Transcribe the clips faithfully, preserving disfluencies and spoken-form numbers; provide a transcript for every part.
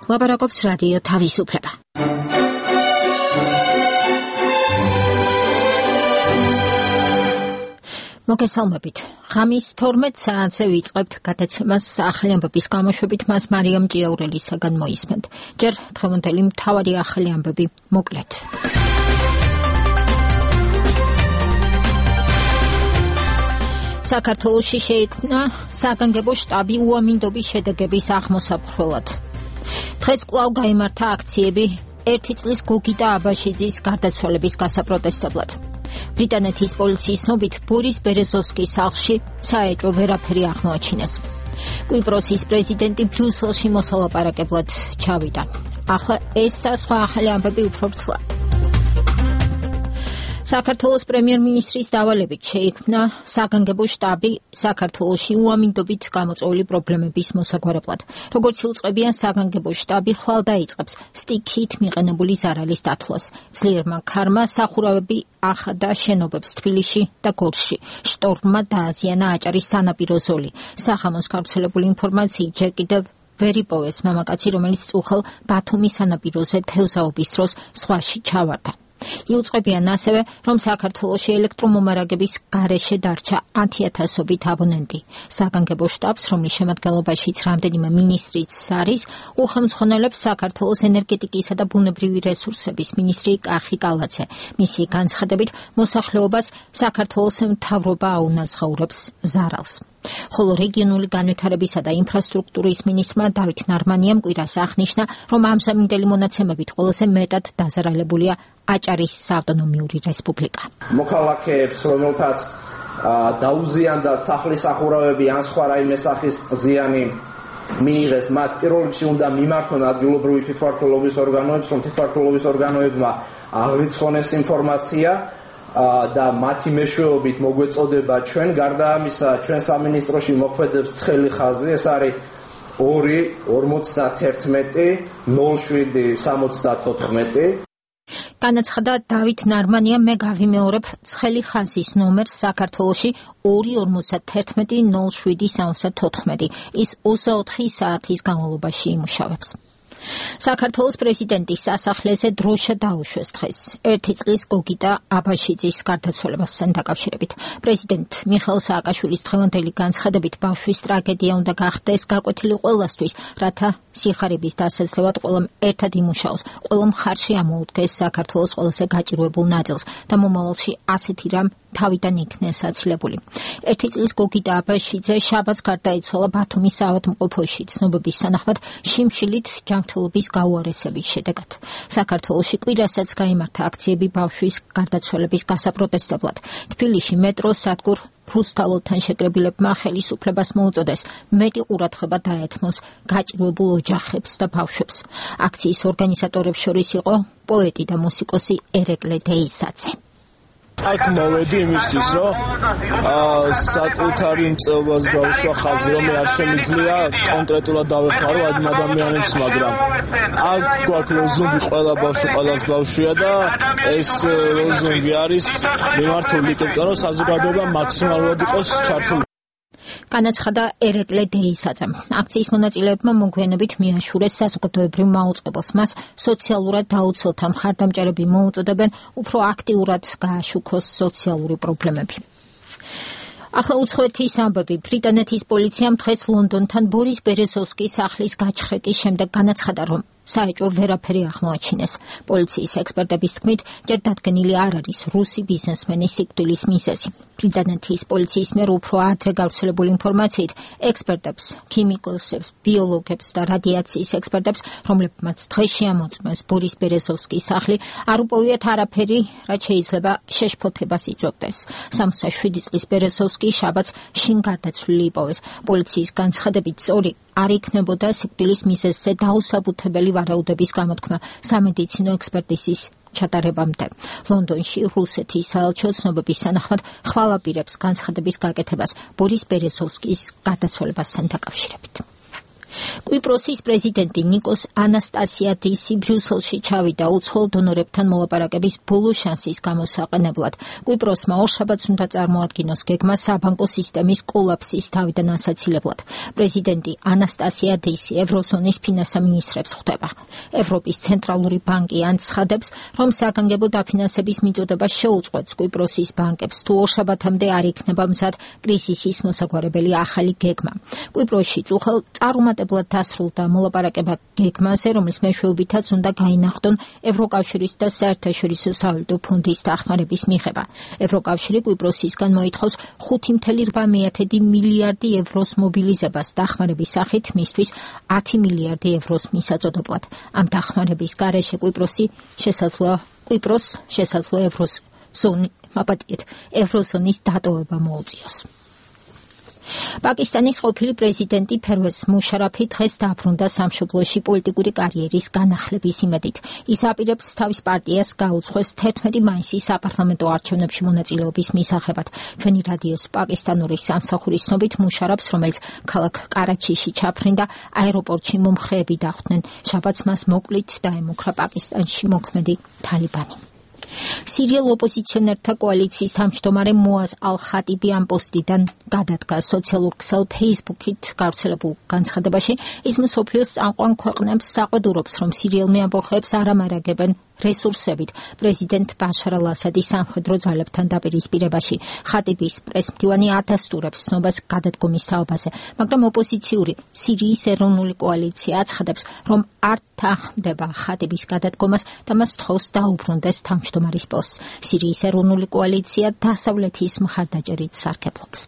ლაპარაკობს რადიო თავისუფლება. მოგესალმებით. ღამის თორმეტ საათზე ვიწყებთ გადაცემას ახალი ამბების გამოშვებით მას მარიამ ჭიაურელისაგან მოისმენთ. ჯერ დღევანდელი მთავარი ახალი ამბები მოკლედ. საქართველოში შეიქმნა საგანგებო შტაბი უამინდობის შედეგების აღმოსაფრთხებლად. დღეს კვლავ გაიმართა აქციები ერთი წლის გოგი და აბაშიძის გარდაცვალების გასაპროტესტებლად. ბრიტანეთის პოლიციის ცნობით ბორის ბერეზოვსკის სახლში საეჭვო ვერაფერი აღმოაჩინეს. კვიპროსის პრეზიდენტი ბრიუსელში მოსალაპარაკებლად ჩავიდა. ახლა ეს და სხვა ახალი ამბები უფრო ვრცლად. საქართველოს პრემიერ-მინისტრის დავალებით შეიქმნა საგანგებო შტაბი საქართველოში უამინდობით გამოწვეული პრობლემების მოსაგვარებლად. როგორც იუწყებიან, საგანგებო შტაბი ხვალ დაიწყებს სტიქით მიყენებული ზარალის დათვლას. ძლიერმა ქარმა სახურავები ახადა შენობებს თბილისში და გორში. შტორმმა დააზიანა აჭარის სანაპირო ზოლი. სახამოს გავრცელებული ინფორმაციით ჯერ კიდევ ვერ იპოვეს მამაკაცი, რომელიც წუხელ ბათუმის სანაპიროზე თევზაობის დროს ზღვაში ჩავარდა. იუწყებიან ასევე, რომ საქართველოში ელექტრომომარაგების გარეშე დარჩა ათიათასობით აბონენტი. საგანგებო შტაბს, რომლის შემადგენლობაშიც რამდენიმე მინისტრიც არის, უხელმძღვანელებს საქართველოს ენერგეტიკისა და ბუნებრივი რესურსების მინისტრი კახი კალაძე. მისი განცხადებით, მოსახლეობას საქართველოს მთავრობა აუნაზღაურებს ზარალს. ხოლო რეგიონული განვითარებისა და ინფრასტრუქტურის მინისტრმა დავით ნარმანიამ კვირას აღნიშნა, რომ ამჟამინდელი მონაცემებით ყველაზე მეტად დაზარალებულია აჭარის საავტონომიური რესპუბლიკა. მოქალაქეებს, რომელთაც დაუზიანდა სახლის სახურავები ან სხვა რაიმე სახის ზიანი მიიღეს, მათ პირველ რიგში უნდა მიმართონ ადგილობრივი თვითმმართველობის ორგანოებს, რომ თვითმმართველობის ორგანოებმა აღრიცხონ ეს ინფორმაცია და მათი მეშვეობით მოგვეწოდება ჩვენ. გარდა ამისა, ჩვენ სამინისტროში მოქმედებს ცხელი ხაზი, ეს არის ორი ორმოცდაათერთმეტი ნულ შვიდი სამოცდათოთხმეტი. განაცხადა დავით ნარმანია, მე გავიმეორებ ცხელი ხაზის ნომერს საქართველოში ორი ორმოცდაათერთმეტი ნულ შვიდი სამოცდათოთხმეტი. ის ოცდაოთხი საათის განმავლობაში იმუშავებს. საქართველოს პრეზიდენტის სასახლეზე დროშა დაუშვეს დღეს ერთი წლის გოგი და აბაშიძის გარდაცვალებასთან დაკავშირებით. პრეზიდენტ მიხეილ სააკაშვილის დღევანდელი განცხადებით, ბავშვის ტრაგედია უნდა გახდეს გაკვეთილი ყველასთვის, რათა სიხარების დასაძლევად ყველამ ერთად იმუშაოს, ყველა მხარში ამოუდგეს საქართველოს ყველაზე გაჭირვებულ ნაწილს და მომავალში ასეთი რამ თავიდან იქნეს აცილებული. ერთი წლის გოგი და აბაშიძე შაბათს გარდაიცვალა ბათუმის საავადმყოფოში ცნობების სანახმად შიმშილით ჯანმრთელობის გაუარესების შედეგად. საქართველოში კვირასაც გაიმართა აქციები ბავშვის გარდაცვალების გასაპროტესტებლად. თბილისში მეტროს სადგურ რუსთაველთან შეკრებილებმა ხელისუფლებას მოუწოდეს მეტი ყურადღება დაეთმოს გაჭირვებულ ოჯახებს და ბავშვებს. აქციის ორგანიზატორებს შორის იყო პოეტი და მუსიკოსი ერეკლე დეისაძე. აქ მოვედი იმისთვის, რომ საკუთარი მწვერვალს გავუსვა ხაზი, რომ არ შემიძლია კონკრეტულად დავეხმარო ამ ადამიანებს, მაგრამ აქ გვაქვს ლოზუნგი ყველა ბავშვი ყველას ბავშვია და ეს ლოზუნგი არის მიმართული იქებთან, რომ საზოგადოება მაქსიმალურად იყოს ჩართული. განაცხადა ერეკლე დეისაძემ. აქციის მონაწილეებმა მოგვიანებით მიაშურეს საზოგადოებრივ მაუწყებელს. მას სოციალურად დაუცველთა მხარდამჭერები მოუწოდებენ უფრო აქტიურად გააშუქოს სოციალური პრობლემები. ახლა უცხოეთის ამბები. ბრიტანეთის პოლიციამ დღეს ლონდონთან ბორის ბერეზოვსკის სახლის გაჩხრიკის შემდეგ განაცხადა, რომ საეჭვო ვერაფერი აღმოაჩინეს. პოლიციის ექსპერტების თქმით, ჯერ დადგენილი არ არის რუსი ბიზნესმენის სიკვდილის მიზეზი. ბრიტანეთის პოლიციის მიერ უფრო ადრე გავრცელებული ინფორმაციით, ექსპერტებს, ქიმიკოსებს, ბიოლოგებს და რადიაციის ექსპერტებს, რომლებმაც დღეს შეამოწმეს ბორის ბერეზოვსკის სახლი, არ უპოვიათ არაფერი, რაც შეიძლება შეშფოთებას იწვევდეს. სამოცდა შვიდი წლის ბერეზოვსკი შაბათს შინ გარდაცვლილი იპოვეს. პოლიციის განცხადებით, სწორი არ იქნებოდა სიკვდილის მიზეზზე დაუსაბუთებელი ვარაუდების გამოთქმა სამედიცინო ექსპერტიზის ჩატარებამდე. ლონდონში რუსეთის საელჩო ცნობების სანახმად ხვალაპირებს განცხადების გაკეთებას ბორის ბერეზოვსკის გარდაცვალებასთან დაკავშირებით. კვიპროსის პრეზიდენტი ნიკოს ანასტასიადისი ბრიუსელში ჩავიდა უცხოელ დონორებთან მოლაპარაკების ბოლო შანსის გამოსაყენებლად. კვიპროსმა ორშაბათს უნდა წარმოადგინოს გეგმა საბანკო სისტემის კოლაფსის თავიდან ასაცილებლად. პრეზიდენტი ანასტასიადისი ევროზონის ფინანსამინისტრებს ხვდება. ევროპის ცენტრალური ბანკი ანცხადებს, რომ საგანგებო დაფინანსების მიწოდება შეუწყვეტს კვიპროსის ბანკებს, თუ ორშაბათამდე არ იქნება მზად კრიზისის მოსაგვარებელი ახალი გეგმა. კვიპროსში წუხელ წარუმატებლად დასრულდა მოლაპარაკება გეგმაზე, რომლის მეშვეობითაც უნდა გაინახდონ ევროკავშირის და საერთაშორისო სავალუტო ფონდის დახმარების მიღება. ევროკავშირი კვიპროსისგან მოითხოვს ხუთი წუთი რვა მილიარდი ევროს მობილიზებას დახმარების სახით მისთვის ათი მილიარდი ევროს მისაწოდებლად. ამ დახმარების გარეშე კვიპროსი შესაძლოა კვიპროს შესაძლოა ევროს ზონი მაპატიეთ ევროზონის დატოვება მოუწიოს. პაკისტანის ყოფილი პრეზიდენტი ფერვეზ მუშარაფი დღეს დაბრუნდა სამშობლოში პოლიტიკური კარიერის განახლების იმედით. ის აპირებს თავის პარტიას გაუძღვეს თერთმეტი მაისის საპარლამენტო არჩევნებში მონაწილეობის მისაღებად. ჩვენი რადიოს პაკისტანური სამსახურის ცნობით მუშარაფს, რომელიც ქალაქ კარაჩიში ჩაფრინდა, აეროპორტში მომხრეები დახვდნენ. შაბათს მას მოკლით დაემუქრა პაკისტანში მოქმედი თალიბანი. სირიელ ოპოზიციონერთა კოალიციის თავმჯდომარე მოაზ ალ-ხატიბი ამ პოსტიდან გადადგა სოციალურ ქსელ ფეისბუქით გავრცელებულ განცხადებაში. ის მსოფლიოს წამყვან ქვეყნებს საყვედურობს, რომ სირიელმე ამბოხებს არ ამარაგებენ რესურსებით პრეზიდენტ ბაშარ ალ-ასადის სამხედრო ძალებთან დაპირისპირებაში. ხატიბის პრესმდივანი ადასტურებს ცნობას გადადგომის თაობაზე, მაგრამ ოპოზიციური სირიის ეროვნული კოალიცია აცხადებს, რომ არ თანხმდება ხატიბის გადადგომას და მას თხოვს დაუბრუნდეს თავმჯდომარის პოსტს. სირიის ეროვნული კოალიცია დასავლეთის მხარდაჭერით სარგებლობს.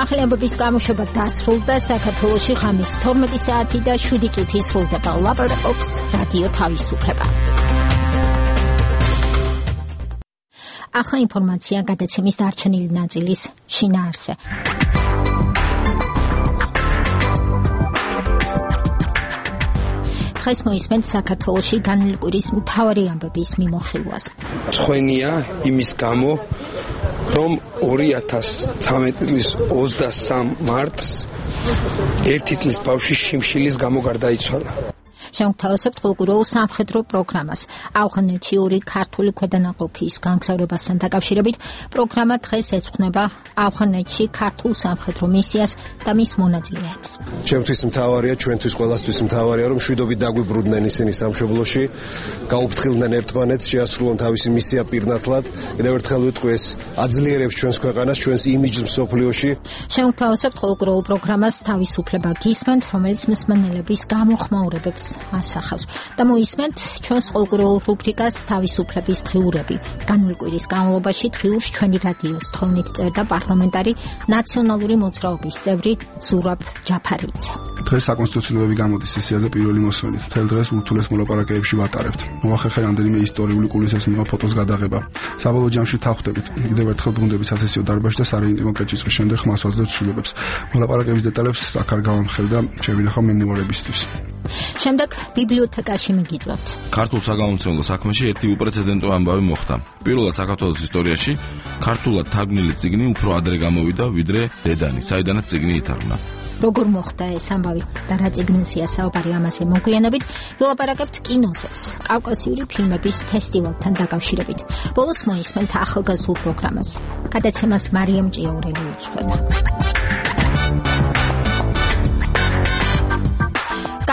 ახლებების გამოშვება დასრულდა. საქართველოში ღამის თორმეტი საათი და შვიდი წუთი სრულდება. ლაპარაკობს რადიო თავისუფლება. ახლა ინფორმაცია გადაცემის დარჩენილი ნაწილის შინაარსზე. დღეს მოისმენთ საქართველოში განვლილი კვირის მთავარი ამბების მიმოხილვას. ცხენია იმის გამო, რომ ორი ათას ცხრამეტი წლის ოცდასამ მარტს ერთი წლის ბავშვი შიმშილის გამო გარდაიცვალა. შევთავაზებთ კულტურულ სამხედრო პროგრამას. ავღანეთში ორი ქართული ქვედანაყოფის განგზავრებასთან დაკავშირებით პროგრამა დღეს ეძღვნება ავღანეთში ქართულ სამხედრო მისიას და მის მონაწილეებს. ჩემთვის მთავარია, ჩვენთვის ყველასთვის მთავარია, რომ მშვიდობით დაგვიბრუნდნენ ისინი სამშობლოში, გამოფრთხილდნენ ერთმანეთს, შეასრულონ თავისი მისია პირნათლად. კიდევ ერთხელ ვიტყვი, ეს აძლიერებს ჩვენს ქვეყანას, ჩვენს იმიჯს მსოფლიოში. შევთავაზებთ კულტურულ პროგრამას თავისუფლება გისმენთ, რომელიც მსმენელების გამოხმაურებებს ასახავს და მოისმენთ ჩვენს კულტურულ რუბრიკას თავისუფლების დღიურები. განვლილი კვირის განმავლობაში დღიურს ჩვენი რადიოს თხოვნით წერდა პარლამენტარი ნაციონალური მოძრაობის წევრი ზურაბ ჯაფარიძე. დღეს საკონსტიტუციურობები გამოდის სესიაზე პირველი მოსვლით. მთელ დღეს ურთულეს მოლაპარაკებებში ვატარებთ. მოახერხე რამდენიმე ისტორიული კულისესმება ფოტოს გადაღება. საბოლოო ჯამში თავხდებით. კიდევ ერთხელ ბრუნდებით სასესიო დარბაზში და სარეიტინგო კეჭისყრის შემდეგ ხმას ვაძლევთ ცვლილებებს. მოლაპარაკების დეტალებს აქ არ გავამხელ და შევინახავ მემუარებისთვის. შემდეგ ბიბლიოთეკაში მიგიწვევთ. ქართულ საგამომცემლო საქმეში ერთი უპრეცედენტო ამბავი მოხდა. პირველად საქართველოს ისტორიაში ქართულად თარგმნილი წიგნი უფრო ადრე გამოვიდა, ვიდრე დედანი, საიდანაც წიგნი ითარგმნა. როგორ მოხდა ეს ამბავი და რა წიგნზეა საუბარი, ამაზე მოგვიანებით ვილაპარაკებთ კინოზეც, კავკასიური ფილმების ფესტივალთან დაკავშირებით. ბოლოს მოისმენთ ახალგაზრდულ პროგრამას. გადაცემას მარიამ ჭიაურელი უძღვება.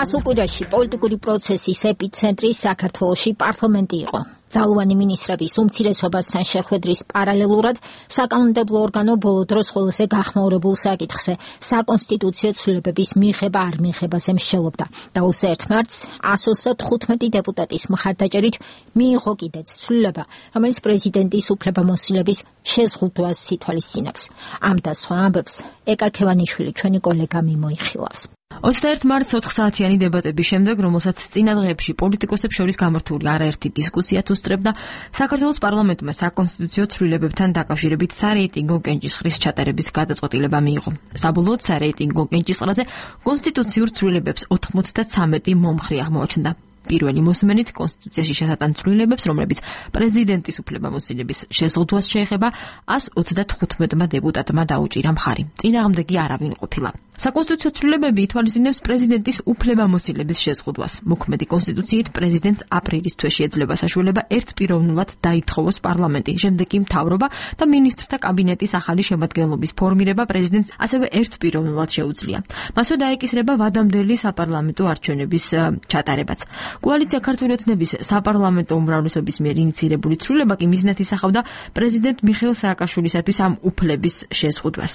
გასულ კვირაში პოლიტიკური პროცესის ეპიცენტრი საქართველოში პარლამენტი იყო. ძალოვანი მინისტრების უმცირესობასთან შეხვედრის პარალელურად საკანონმდებლო ორგანო ბოლო დროს ყველაზე გახმაურებულ საკითხზე საკონსტიტუციო ცვლილებების მიღება არ მიღებაზე მსჯელობდა და ოცდაერთ მარტს εκατს ოცდათხუთმეტი დეპუტატის მხარდაჭერით მიიღო კიდეც ცვლილება, რომელიც პრეზიდენტის უფლებამოსილების შეზღუდვას ითვალისწინებს. ამ და სხვა ამბებს ეკა ქევანიშვილი ჩვენი კოლეგა მიმოიხილავს. ოცდაერთ მარტს ოთხ საათიანი დებატების შემდეგ, რომელსაც წინა დღეებში პოლიტიკოსებს შორის გამართული არაერთი დისკუსია უსწრებდა, საქართველოს პარლამენტმა საკონსტიტუციო ცვლილებებთან დაკავშირებით სარეიტინგო კენჭისყრის ჩატარების გადაწყვეტილება მიიღო. საბოლოოდ სარეიტინგო კენჭისყრაზე კონსტიტუციურ ცვლილებებს ოთხმოცდათვრამეტი მომხრე აღმოაჩნდა. პირველი მოსმენით კონსტიტუციაში შესატან ცვლილებებს, რომლებიც პრეზიდენტის უფლებამოსილების შეზღუდვას შეეხება, ას ოცდათხუთმეტმა დეპუტატმა დაუჭირა მხარი. წინააღმდეგი არავინ ყოფილა. საკონსტიტუციო ცვლილებები ითვალისწინებს პრეზიდენტის უფლებამოსილების შეზღუდვას. მოქმედი კონსტიტუციით პრეზიდენტს აპრილის თვეში ეძლევა საშუალება ერთპიროვნულად დაითხოვოს პარლამენტი, შემდეგ კი მთავრობა და მინისტრთა კაბინეტის ახალი შემადგენლობის ფორმირება პრეზიდენტს ასევე ერთპიროვნულად შეუძლია. მასვე დაეკისრება ვადამდელი საპარლამენტო არჩევნების ჩატარებაც. კოალიცია ქართული ოცნების საპარლამენტო უმრავლესობის მიერ ინიცირებული ცვლილება კი მიზნად ისახავდა პრეზიდენტ მიხეილ სააკაშვილისათვის ამ უფლების შეზღუდვას.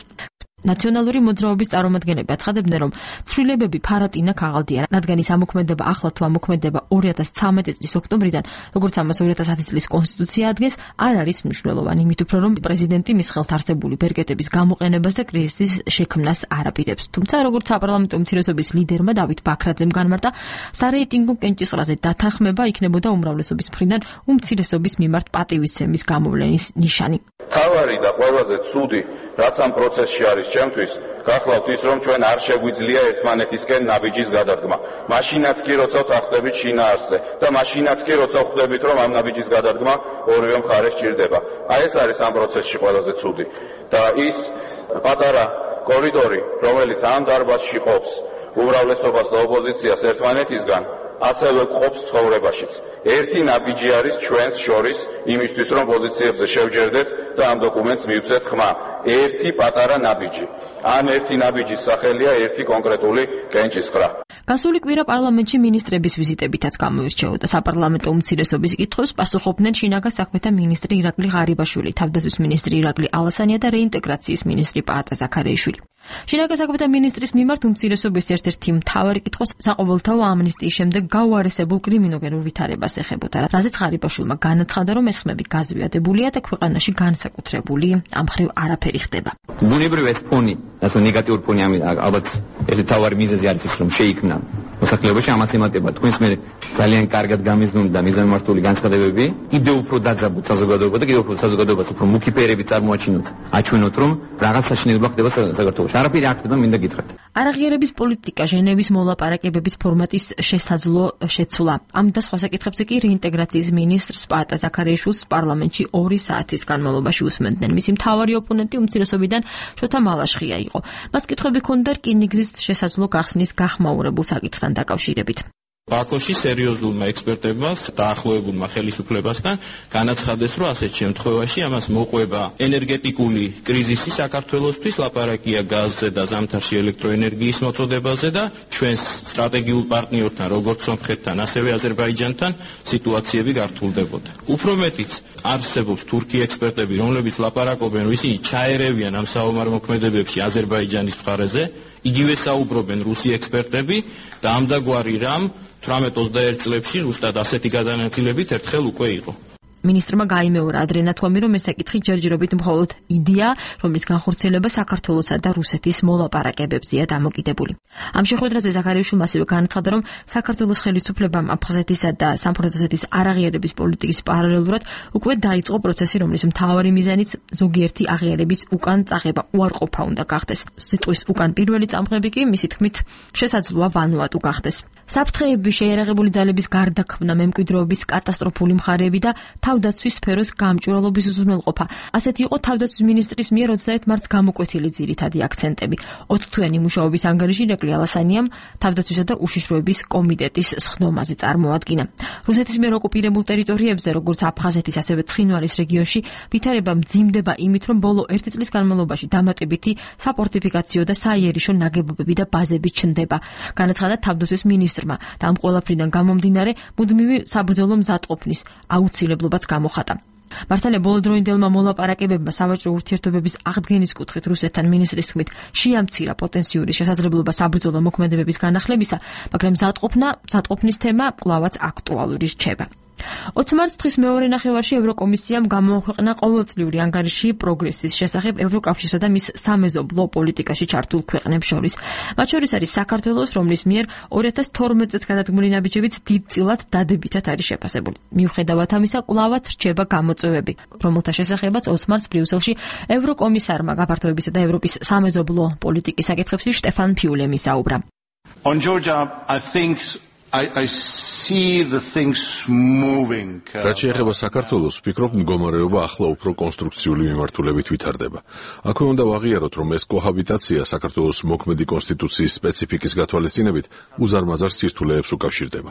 ნაციონალური მოძრაობის წარმომადგენლები აცხადებდნენ, რომ ცვლილებები ფარატინა ქაღალდია, რადგან ის ამოქმედება ახლა თუ ამოქმედება ორი ათას ცხრამეტი წლის ოქტომბრიდან, როგორც ამას ორი ათას ათი წლის კონსტიტუცია ადგენს, არ არის მნიშვნელოვანი, იმით უფრო რომ პრეზიდენტი მის ხელთ არსებული ბერკეტების გამოყენებას და კრიზისის შექმნას არაპირებს. თუმცა, როგორც საპარლამენტო უმცირესობის ლიდერმა დავით ბაქრაძემ განმარტა, სარეიტინგო კენჭისყრაზე დათანხმება იქნებოდა უმრავლესობის მხრიდან უმცირესობის მიმართ პატივისცემის გამოვლენის ნიშანი. თავარი და ყველაზე ცუდი, რაც ამ პროცესში არის ჩემთვის, გახლავთ ის, რომ ჩვენ არ შეგვიძლია ერთმანეთისკენ ნაბიჯის გადადგმა. მაშინაც კი როცა ვთანხმდებით შინაარსზე და მაშინაც კი როცა ვხვდებით, რომ ამ ნაბიჯის გადადგმა ორივე მხარეს სჭირდება. აი ეს არის ამ პროცესში ყველაზე ცუდი. და ის პატარა კორიდორი, რომელიც ამ დარბაზში ყოფს უმრავლესობას და ოპოზიციას ერთმანეთისგან, ასევე ყოფს ცხოვრებაშიც. ერთი ნაბიჯი არის ჩვენს შორის იმისთვის, რომ პოზიციებზე შევჯერდეთ და ამ დოკუმენტს მივცეთ ხმა. ერთი პატარა ნაბიჯი. ამ ერთი ნაბიჯის სახელია ერთი კონკრეტული კენჭისყრა. გასული კვირა პარლამენტში მინისტრების ვიზიტებითაც გამოირჩეოდა. საპარლამენტო უმცირესობის კითხვებს პასუხობდნენ შინაგან საქმეთა მინისტრი ირაკლი ღარიბაშვილი, თავდაცვის მინისტრი ირაკლი ალასანია და რეინტეგრაციის მინისტრი პაატა ზაქარიაშვილი. შინაგან საქმეთა მინისტრის მიმართ უმცირესობის ერთ-ერთი მთავარი კითხვა საყოველთაო ამნისტიის შემდეგ გაუარესებულ კრიმინოგენურ ვითარებას ეხებოდა, რაზეც ღარიბაშვილმა განაცხადა, რომ ეს ხმები გაზვიადებულია და ქვეყანაში განსაკუთრებული ამ ხრივ არაფერი ხდება. ბუნებრივ ეს ფონი, ასე ნეგატიური ფონი ალბათ ეს თავარი მიზეზი არის ის, რომ შეიქმნა მოსახლეობაში ამას ემატება თქვენს მე ძალიან კარგად გამიზნული და მიზანმართული განცხადებები, კიდევ უფრო დაძაბოთ საზოგადოება და კიდევ უფრო საზოგადოებას უფრო მუქი ფერები წარმოაჩინოთ, აჩვენოთ, რომ რაღაც საშინელება ხდება საქართველოში. არაფერი არ ხდება, მინდა გითხრათ. არაღიარების პოლიტიკა, ჟენევის მოლაპარაკებების ფორმატის შესაძლო შეცვლა. ამ და სხვა საკითხებზე კი რეინტეგრაციის მინისტრს პაატა ზაქარიაშვილს პარლამენტში ორი საათის განმავლობაში უსმენდნენ. მისი მთავარი ოპონენტი უმცირესობიდან შოთა მალაშხია იყო. მას კითხვები ჰქონდა რკინიგზის შესაძლო გახსნის გახმაურებულ საკითხთან დაკავშირებით. ბაქოში სერიოზულმა ექსპერტებმა დაახლოებულმა ხელისუფლებასთან განაცხადეს, რომ ასეთ შემთხვევაში ამას მოყვება ენერგეტიკული კრიზისი საქართველოსთვის, ლაპარაკია გაზზე და ზამთარში ელექტროენერგიის მოწოდებაზე და ჩვენს სტრატეგიულ პარტნიორთან, როგორც სომხეთთან, ასევე აზერბაიჯანთან სიტუაციები გართულდებოდა. უფრო მეტიც არსებობს თურქი ექსპერტები, რომლებიც ლაპარაკობენ, რომ ისინი ჩაერევიან ამ საომარ მოქმედებებში აზერბაიჯანის მხარეზე, იგივე საუბრობენ რუსი ექსპერტები და ამდაგვარი რამ თვრამეტ ოცდაერთ წლებში ზუსტად ასეთი გადანაწილებით ერთხელ უკვე იყო. მინისტრმა გაიმეორა ადრე ნათქვამი, რომ ეს საკითხი ჯერჯერობით მხოლოდ იდეა, რომლის განხორციელება საქართველოსა და რუსეთის მოლაპარაკებებზეა დამოკიდებული. ამ შეხვედრაზე ზაქარიაშვილმა ასევე განაცხადა, რომ საქართველოს ხელისუფლებამ აფხაზეთისა და სამხრეთ ოსეთის არაღიარების პოლიტიკის პარალელურად უკვე დაიწყო პროცესი, რომლის მთავარი მიზანიც ზოგიერთი აღიარების უკან წაღება უარყოფა უნდა გახდეს. სიტყვის უკან პირველი წამღები კი მისი თქმით შესაძლოა ვანუატუ გახდეს. საფრთხეები, შეიარაღებული ძალების გარდაქმნა, მემკვიდრეობის კატასტროფული მხარეები და თავდაცვის სფეროს გამჭვირვალობის უზრუნველყოფა. ასეთი იყო თავდაცვის მინისტრის მიერ ოცდაერთ მარტს გამოკვეთილი ძირითადი აქცენტები. ოცთვიანი მუშაობის ანგარიში ირაკლი ალასანიამ თავდაცვისა და უშიშროების კომიტეტის სხდომაზე წარმოადგინა. რუსეთის მიერ ოკუპირებულ ტერიტორიებზე, როგორც აფხაზეთის, ასევე ცხინვალის რეგიონში, ვითარება მძიმდება იმით, რომ ბოლო ერთი წლის განმავლობაში დამატებითი საფორტიფიკაციო და საიერიშო ნაგებობები და ბაზები ჩნდება. განაცხადა თავდაცვის მინისტრმა და ამ ყველაფრიდან გამომდინარე მუდმივი საბრძოლო მზადყოფნის აუცილებლობაც გამოხატა. მართალია ბოლოდროინდელმა მოლაპარაკებებმა სავაჭრო ურთიერთობების აღდგენის კუთხით რუსეთთან მინისტრის თქმით შეამცირა პოტენციური შესაძლებლობა საბრძოლო მოქმედებების განახლებისა, მაგრამ მზადყოფნა, მზადყოფნის თემა კვლავაც აქტუალური რჩება. ოცი მარტს დღის მეორე ნახევარში ევროკომისიამ გამოაქვეყნა ყოველწლიური ანგარიში პროგრესის შესახებ ევროკავშირსა და მის სამეზობლო პოლიტიკაში ჩართულ ქვეყნებს შორის. მათ შორის არის საქართველოს, რომლის მიერ ორი ათას თორმეტ წელს გადადგმული ნაბიჯებიც დიდწილად დადებითად არის შეფასებული. მიუხედავად ამისა, კვლავაც რჩება გამოწვევები, რომელთა შესახებაც ოცი მარტს ბრიუსელში ევროკომისარმა გაფართოებისა და ევროპის სამეზობლო პოლიტიკის საკითხებში შტეფან ფიულემ ისაუბრა. On Georgia, I think I, I see the things moving. რაც შეეხება საქართველოს, ვფიქრობ, მდგომარეობა ახლა უფრო კონსტრუქციული მიმართულებით ვითარდება. აქვე უნდა ვაღიაროთ, რომ ეს კოჰაბიტაცია საქართველოს მოქმედი კონსტიტუციის სპეციფიკის გათვალისწინებით უზარმაზარ სირთულეებს უკავშირდება.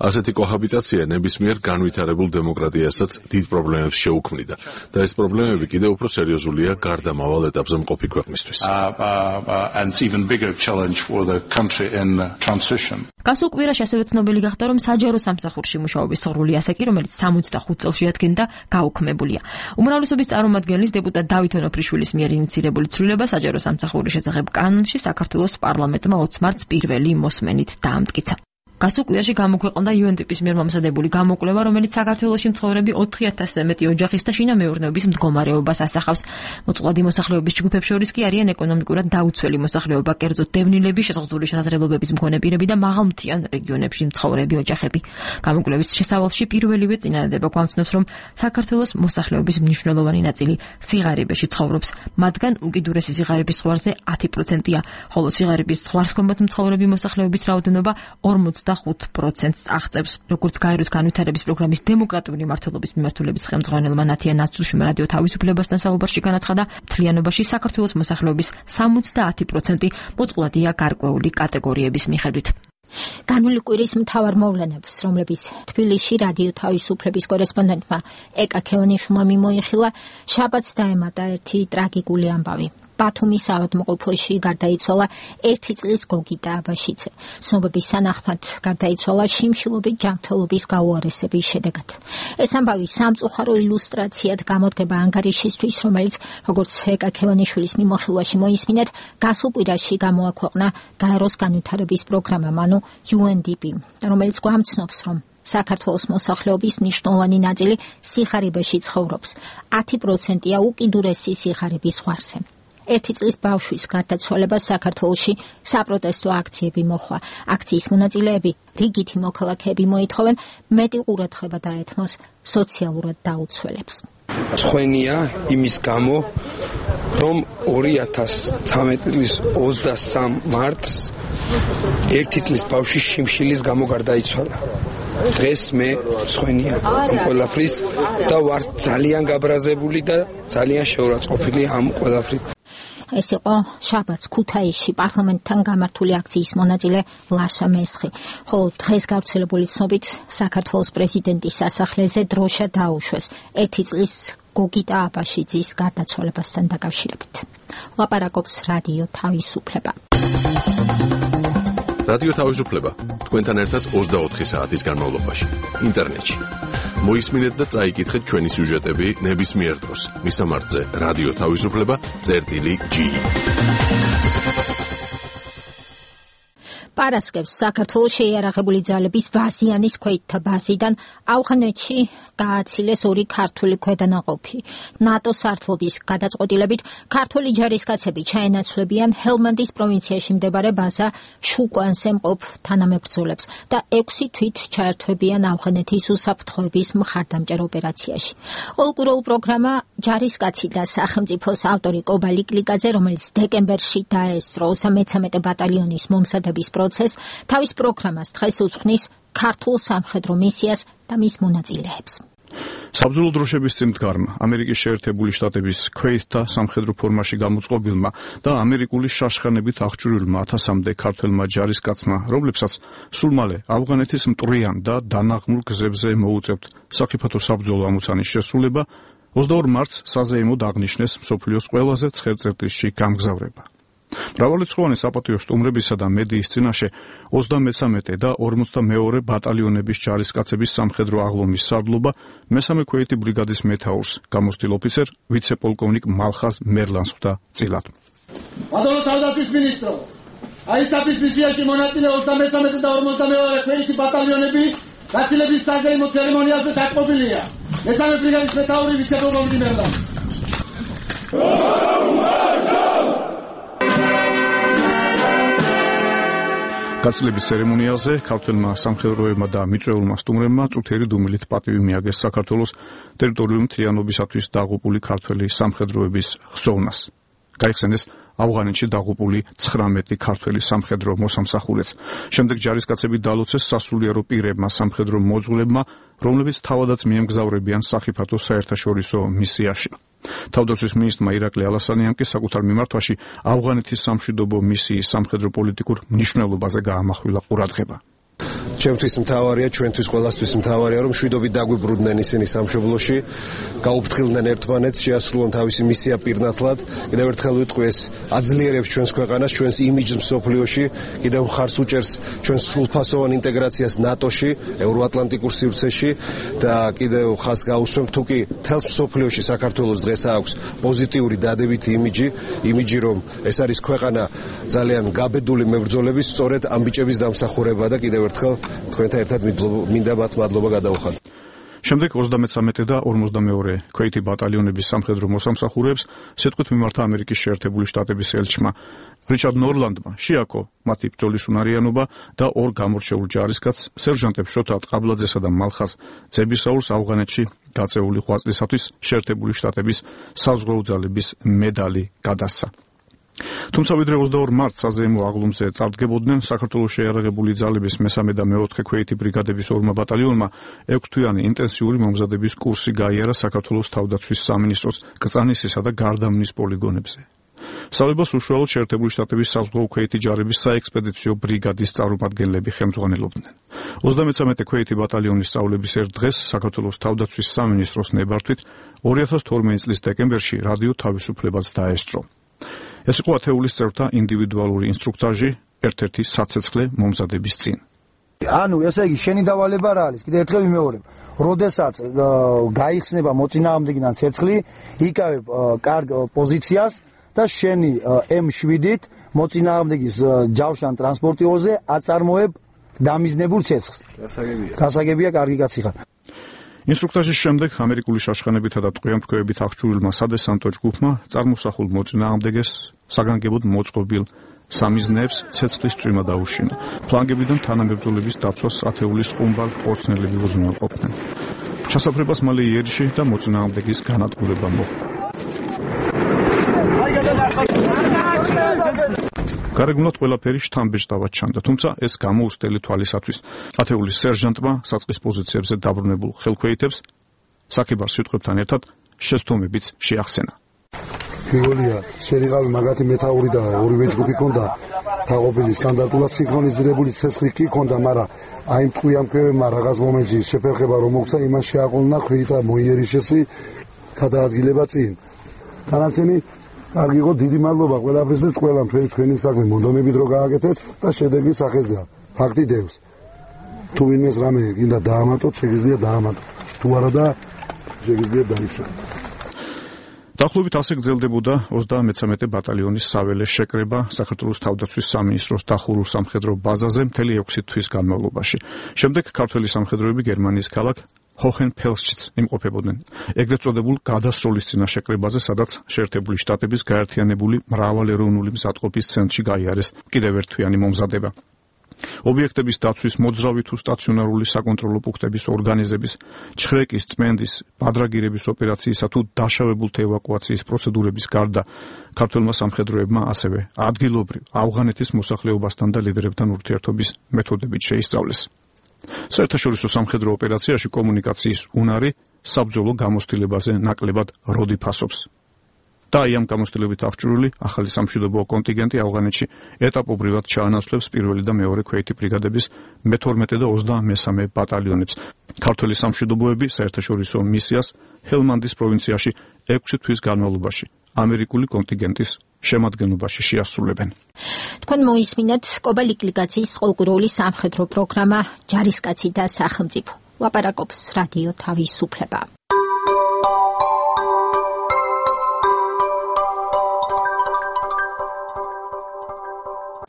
ასეთი კოჰაბიტაცია ნებისმიერ განვითარებულ დემოკრატიასაც დიდ პრობლემებს შეუქმნიდა და ეს პრობლემები კიდევ უფრო სერიოზულია გარდამავალ ეტაპზე მყოფი ქვეყნისთვის. Uh, uh, and it's even bigger challenge for the country in transition. გასულ კვირაში ასევე ცნობილი გახდა, რომ საჯარო სამსახურში მუშაობის სრული ასაკი, რომელიც სამოცდახუთ წელს შეადგენდა, გაუქმებულია. უმრავლესობის წარმომადგენლის დეპუტატ დავით ონოფრიშვილის მიერ ინიცირებული ცვლილება საჯარო სამსახურის შესახებ კანონში საქართველოს პარლამენტმა ოცი მარტს პირველი მოსმენით დაამტკიცა. გასულ კვირაში გამოქვეყნდა იუ ენ დი პის მიერ მომზადებული გამოკვლევა, რომელიც საქართველოში მცხოვრები ოთხი ათასზე მეტი ოჯახის და შინამეურნეობის მდგომარეობას ასახავს. მოწყვლადი მოსახლეობის ჯგუფებს შორის კი არიან ეკონომიკურად დაუცველი მოსახლეობა, კერძოდ დევნილები, შეზღუდული შესაძლებლობების მქონე პირები და მაღალმთიან რეგიონებში მცხოვრები ოჯახები. გამოკვლევის შესავალში პირველივე წინადადება გვამცნობს, რომ საქართველოს მოსახლეობის მნიშვნელოვანი ნაწილი სიღარიბეში ცხოვრობს. მათგან უკიდურესი სიღარიბის ზღვარზე ათი პროცენტია, ხოლო სიღარიბის ზღვარსქვემოთ მცხოვრები მოსახლეობის რაოდენობა ორმოცდახუთ პროცენტს აღწევს. როგორც გაეროს განვითარების პროგრამის დემოკრატიული მმართველობის მიმართულების ხელმძღვანელმა ნათია ნაცუშმა რადიო თავისუფლებასთან საუბარში განაცხადა, მთლიანობაში საქართველოს მოსახლეობის სამოცდაათი პროცენტი მოწყვლადია გარკვეული კატეგორიების მიხედვით. განული კვირის მთავარ მოვლენებს, რომლებიც თბილისში რადიო თავისუფლების კორესპონდენტმა ეკა ქევანიშვილმა მიმოიხილა, შაბათს დაემატა ერთი ტრაგიკული ამბავი. ბათუმის ავადმყოფოში გარდაიცვალა ერთი წლის გოგიტა აბაშიძე. ცნობების სანახმად გარდაიცვალა შიმშილობით ჯანმრთელობის გაუარესების შედეგად. ეს ამბავი სამწუხარო ილუსტრაციად გამოდგება ანგარიშისთვის, რომელიც, როგორც ეკა ქევანიშვილის მიმოხილვაში მოისმინეთ, გასულ კვირაში გამოაქვეყნა გაეროს განვითარების პროგრამამ, ანუ იუ ენ დი პი, რომელიც გვამცნობს, რომ საქართველოს მოსახლეობის მნიშვნელოვანი ნაწილი სიხარიბეში ცხოვრობს. ათი პროცენტია უკიდურესი სიხარიბის ზღვარზე. ერთი წლის ბავშვის გარდაცვალებას საქართველოში საპროტესტო აქციები მოხდა. აქციის მონაწილეები, რიგითი მოქალაქეები მოითხოვენ მეტი ყურადღება დაეთმოს სოციალურად დაუცველებს. ცხენია იმის გამო, რომ ორი ათას ცხრამეტი წლის ოცდასამ მარტს ერთი წლის ბავშვი შიმშილის გამო გარდაიცვალა. დღეს მე ცხენია ამ ყველაფრის და ვარ ძალიან გაბრაზებული და ძალიან შეურაცხყოფილი ამ ყველაფრით. ეს იყო შაბათს ქუთაისში პარლამენტთან გამართული აქციის მონაწილე ლაშა მესხი, ხოლო დღეს გავრცელებული ცნობით საქართველოს პრეზიდენტის სასახლეზე დროშა დაუშვეს ერთი წლის გოგიტა აბაშიძის გარდაცვალებასთან დაკავშირებით. ლაპარაკობს რადიო თავისუფლება. რადიო თავისუფლება თქვენთან ერთად ოცდაოთხი საათის განმავლობაში ინტერნეტში. მოისმინეთ და წაიკითხეთ ჩვენი სიუჟეტები ნებისმიერ დროს. მისამართზე რადიო თავისუფლება წერტილი ჯი. პარასკევს საქართველოს შეიარაღებული ძალების ვაზიანის ქვეითთა ბაზიდან ავღანეთში გააცილეს ორი ქართული ქვედანაყოფი. ნატოს სარდლობის გადაწყვეტილებით ქართული ჯარისკაცები ჩაენაცვლებიან ჰელმანდის პროვინციაში მდებარე ბაზა შუკვანზე მყოფ თანამებრძოლებს და ექვსი თვით ჩაერთვებიან ავღანეთის უსაფრთხოების მხარდამჭერ ოპერაციაში. ყოველკვირეულ პროგრამა ჯარისკაცი და სახელმწიფოს ავტორი კობა ლიკლიკაძე, რომელიც დეკემბერში დაესწრო მესამე ბატალიონის მომზადების პროცესს, თავის პროგრამას დღეს უძღვნის ქართულ სამხედრო მისიას და მის მონაწილეებს. საბრძოლო დროშების წინდგარმა, ამერიკის შეერთებული შტატების ქვეითთა სამხედრო ფორმაში გამოწყობილმა და ამერიკული შაშხანებით აღჭურვილმა ათასამდე ქართველმა ჯარისკაცმა, რომლებსაც სულ მალე ავღანეთის მტვრიან და დანაღმულ გზებზე მოუწევთ საფრთხო საბრძოლო ამოცანის შესრულება, ოცდაორ მარტს საზეიმოდ აღნიშნეს მსოფლიოს ყველაზე ცხელ წერტილში გამგზავრება. მრავალრიცხოვანი საპატიო სტუმრებისა და მედიის წინაშე ოცდამესამე და ორმოცდამეორე ბატალიონების ჯარისკაცების სამხედრო აღლომის სარდლობა მესამე ქვეითი ბრიგადის მეთაურს, გამოცდილ ოფიცერ ვიცე-პოლკოვნიკ მალხაზ მერლანს ხვდა წილად. ბატონო თავდაცვის მინისტრო, აი საფის მისიაში მონაწილე ოცდამესამე და ორმოცდამეორე ქვეითი ბატალიონები გაცილების საზეიმო ცერემონიალზე დაკმობილია. მესამე ბრიგადის მეთაური ვიცე-პოლკოვნიკ მერლანს. გაცილების ცერემონიალზე ქართველმა სამხედროებმა და მიწვეულმა სტუმრებმა წუთიერი დუმილით პატივი მიაგეს საქართველოს ტერიტორიული მთლიანობისათვის დაღუპული ქართველი სამხედროების ხსოვნას. გაიხსენეს ავღანეთში დაღუპული ცხრამეტი ქართველი სამხედრო მოსამსახურეც. შემდეგ ჯარისკაცები დალოცეს სასულიერო პირებმა სამხედრო მოძღვრებმა, რომლებიც თავადაც მიემგზავრებიან სახიფათო საერთაშორისო მისიაში. თავდაცვის მინისტრმა ირაკლი ალასანიამ კი საკუთარ მიმართვაში ავღანეთის სამშვიდობო მისიის სამხედრო პოლიტიკურ მნიშვნელობაზე გაამახვილა ყურადღება. ჩემთვის მთავარია, ჩვენთვის ყველასთვის მთავარია, რომ შვიდობით დაგვიბრუნდნენ ისინი სამშობლოში, გაუფრთხილდნენ ერთმანეთს, შეასრულონ თავისი მისია პირნათლად. კიდევ ერთხელ ვიტყვი, ეს აძლიერებს ჩვენს ქვეყანას, ჩვენს იმიჯს მსოფლიოში, კიდევ ხარს უჭერს ჩვენს სრულფასოვან ინტეგრაციას ნატოში, ევროატლანტიკურ სივრცეში და კიდევ ხას გაუსვემთ, თუ კი მთელს მსოფლიოში საქართველოს დღეს აქვს პოზიტიური დადებითი იმიჯი, იმიჯი რომ ეს არის ქვეყანა ძალიან გაბედული მებრძოლების, სწორედ ამ ბიჭების დამსახურება და კიდევ ერთხელ თქვენთან ერთად მინდა მათ მადლობა გადავუხადო. შემდეგ ოცდამეცამეტე და ორმოცდამეორე ქვეითი ბატალიონების სამხედრო მოსამსახურეებს სიტყვით მიმართა ამერიკის შეერთებული შტატების ელჩმა რიჩარდ ნორლანდმა შეაქო მათი ბრძოლის უნარიანობა და ორ გამორჩეულ ჯარისკაცს სერჟანტებს შოთა ტყაბლაძესა და მალხას ძებისაურს ავღანეთში გაწეული ღვაწლისათვის შეერთებული შტატების საზღვაო ძალების მედალი გადასცა. თუმცა ვიდრე ოცდაორ მარტს საზეიმო აღლუმზე წარდგებოდნენ, საქართველოს შეიარაღებული ძალების მესამე და მეოთხე ქვეითი ბრიგადების ორმა ბატალიონმა ექვსთვიანი ინტენსიური მომზადების კურსი გაიარა საქართველოს თავდაცვის სამინისტროს კრწანისისა და გარდამნის პოლიგონებზე. სწავლებას უშუალოდ შეერთებული შტატების საზღვაო ქვეითი ჯარების საექსპედიციო ბრიგადის წარმომადგენლები ხელმძღვანელობდნენ. ოცდამეცამეტე ქვეითი ბატალიონის სწავლების ერთ დღეს საქართველოს თავდაცვის სამინისტროს ნებართვით ორი ათას თორმეტი წლის დეკემბერში რადიო თავისუფლებაც დაესწრო. ეს იყო ათეულის წევრთა ინდივიდუალური ინსტრუქტაჟი ერთ-ერთი საცეცხლე მომზადების წინ. ანუ ესე იგი შენი დავალება რა არის? კიდევ ერთხელ ვიმეორებ. როდესაც გაიხსნება მოწინააღმდეგიდან ცეცხლი, იკავებ კარგ პოზიციას და შენი ემ შვიდით მოწინააღმდეგის ჯავშან ტრანსპორტიორზე აწარმოებ დამიზნებულ ცეცხლს. გასაგებია. გასაგებია, კარგი კაცი ხარ. ინსტრუქტაჟის შემდეგ ამერიკული შაშხანებითა და ტყვიამფრქვევებით აღჭურვილმა სადესანტო ჯგუფმა წარმოსახულ მოწინააღმდეგეს საგანგებოდ მოწყობილ სამიზნეებს ცეცხლის წვიმა დაუშინა. ფლანგებიდან თანამებრძოლების დაცვას ათეულის ყუმბარ ხორცნელები უზრუნველყოფდნენ. ჩასაფრებას მალე იერიში და მოწინააღმდეგის განადგურება მოხდა. გარეგნულად ყველაფერი შთამბეჭდავად ჩანდა, თუმცა ეს გამოუცდელი თვალისათვის. ათეულის სერჟანტმა საწყის პოზიციებზე დაბრუნებულ ხელქვეითებს საქებარ სიტყვებთან ერთად შესთომებიც შეახსენა. პირველია, შერიღავი მაგათი მეთაური და ორივე ჯგუფი ქონდა თაყოფილი სტანდარტულად სინქრონიზირებული ცეცხლი კი ქონდა, მაგრამ აი მტყვიამფრქვევებმა რაღაც მომენტში შეფერხება რომ მოხდა, იმას შეაყოლნა ქვეითა მოიერიშესი გადაადგილება წინ. თანამშრომელი კარგი იყო, დიდი მადლობა ყველაფრისთვის, ყველამ თქვენი საქმე მონდომებით რო გააკეთეთ და შედეგი სახეზეა. ფაქტი დევს. თუ ვინმეს რამე გინდა დაამატოთ, შეგიძლია დაამატოთ. თუ არა და შეგიძლია დაისვათ. დაახლოებით ასე გრძელდებოდა ოცდამეცამეტე ბატალიონის საველე შეკრება საქართველოს თავდაცვის სამინისტროს დახურულ სამხედრო ბაზაზე მთელი ექვსი თვის განმავლობაში. შემდეგ ქართველი სამხედროები გერმანიის ქალაქ ჰოჰენფელსშიც იმყოფებოდნენ. ეგრეთ წოდებულ გადასროლის წინა შეკრებაზე, სადაც შეერთებული შტატების გაერთიანებული მრავალეროვნული მზადყოფის ცენტრში გაიარეს კიდევ ერთ თვიანი მომზადება. ობიექტების დაცვის მოძრავი თუ სტაციონარული საკონტროლო პუნქტების ორგანიზების, ჩხრეკის, წმენდის, ბადრაგირების ოპერაციისა თუ დაშავებულთა ევაკუაციის პროცედურების გარდა, ქართველმა სამხედროებმა ასევე ადგილობრივ ავღანეთის მოსახლეობასთან და ლიდერებთან ურთიერთობის მეთოდებით შეისწავლეს. საერთაშორისო სამხედრო ოპერაციაში კომუნიკაციის უნარი საბრძოლო გამოცდილებაზე ნაკლებად როდი ფასობს. და აი ამ გამოცდილებით აღჭურვილი ახალი სამშვიდობო კონტინგენტი ავღანეთში ეტაპობრივად ჩაანაცვლებს პირველი და მეორე ქვეითი ბრიგადების მეთორმეტე და ოცდამესამე ბატალიონებს. ქართველი სამშვიდობოები საერთაშორისო მისიას ჰელმანდის პროვინციაში ექვსი თვის განმავლობაში ამერიკული კონტინგენტის შემადგენლობაში შეასრულებენ. თქვენ მოისმინეთ კობალიკლიგაციის ყოლკურული სამხედრო პროგრამა ჯარისკაცი და სახელმწიფო. ლაპარაკობს რადიო თავისუფლება.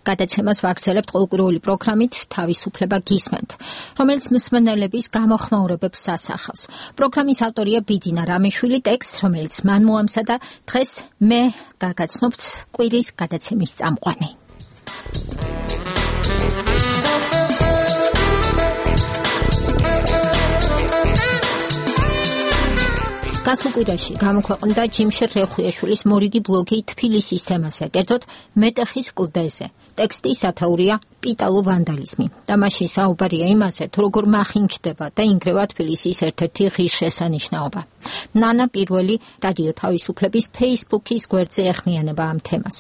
გადაცემას ვაგრძელებთ ყოლკურული პროგრამით თავისუფლება გისმენთ, რომელიც მსმენელების გამოხმაურებებს ასახავს. პროგრამის ავტორია ბიძინა რამიშვილი, ტექსტს, რომელიც მან მოამზადა, დღეს მე გაგაცნობთ კვირის გადაცემის წამყვანი. გასულ კვირაში გამოქვეყნდა ჯიმშერ რეხუიაშვილის მორიგი ბლოგი თბილისის თემაზე, კერძოდ მეტეხის კლდეზე. ტექსტი სათაურია პიტალო ვანდალიზმი. და მაშინ საუბარია იმაზე, თუ როგორ მახინჯდება და ინგრევა თბილისის ერთ-ერთი ღირსშესანიშნაობა. ნანა პირველი რადიო თავისუფლების Facebook-ის გვერდზე ეხმიანება ამ თემას.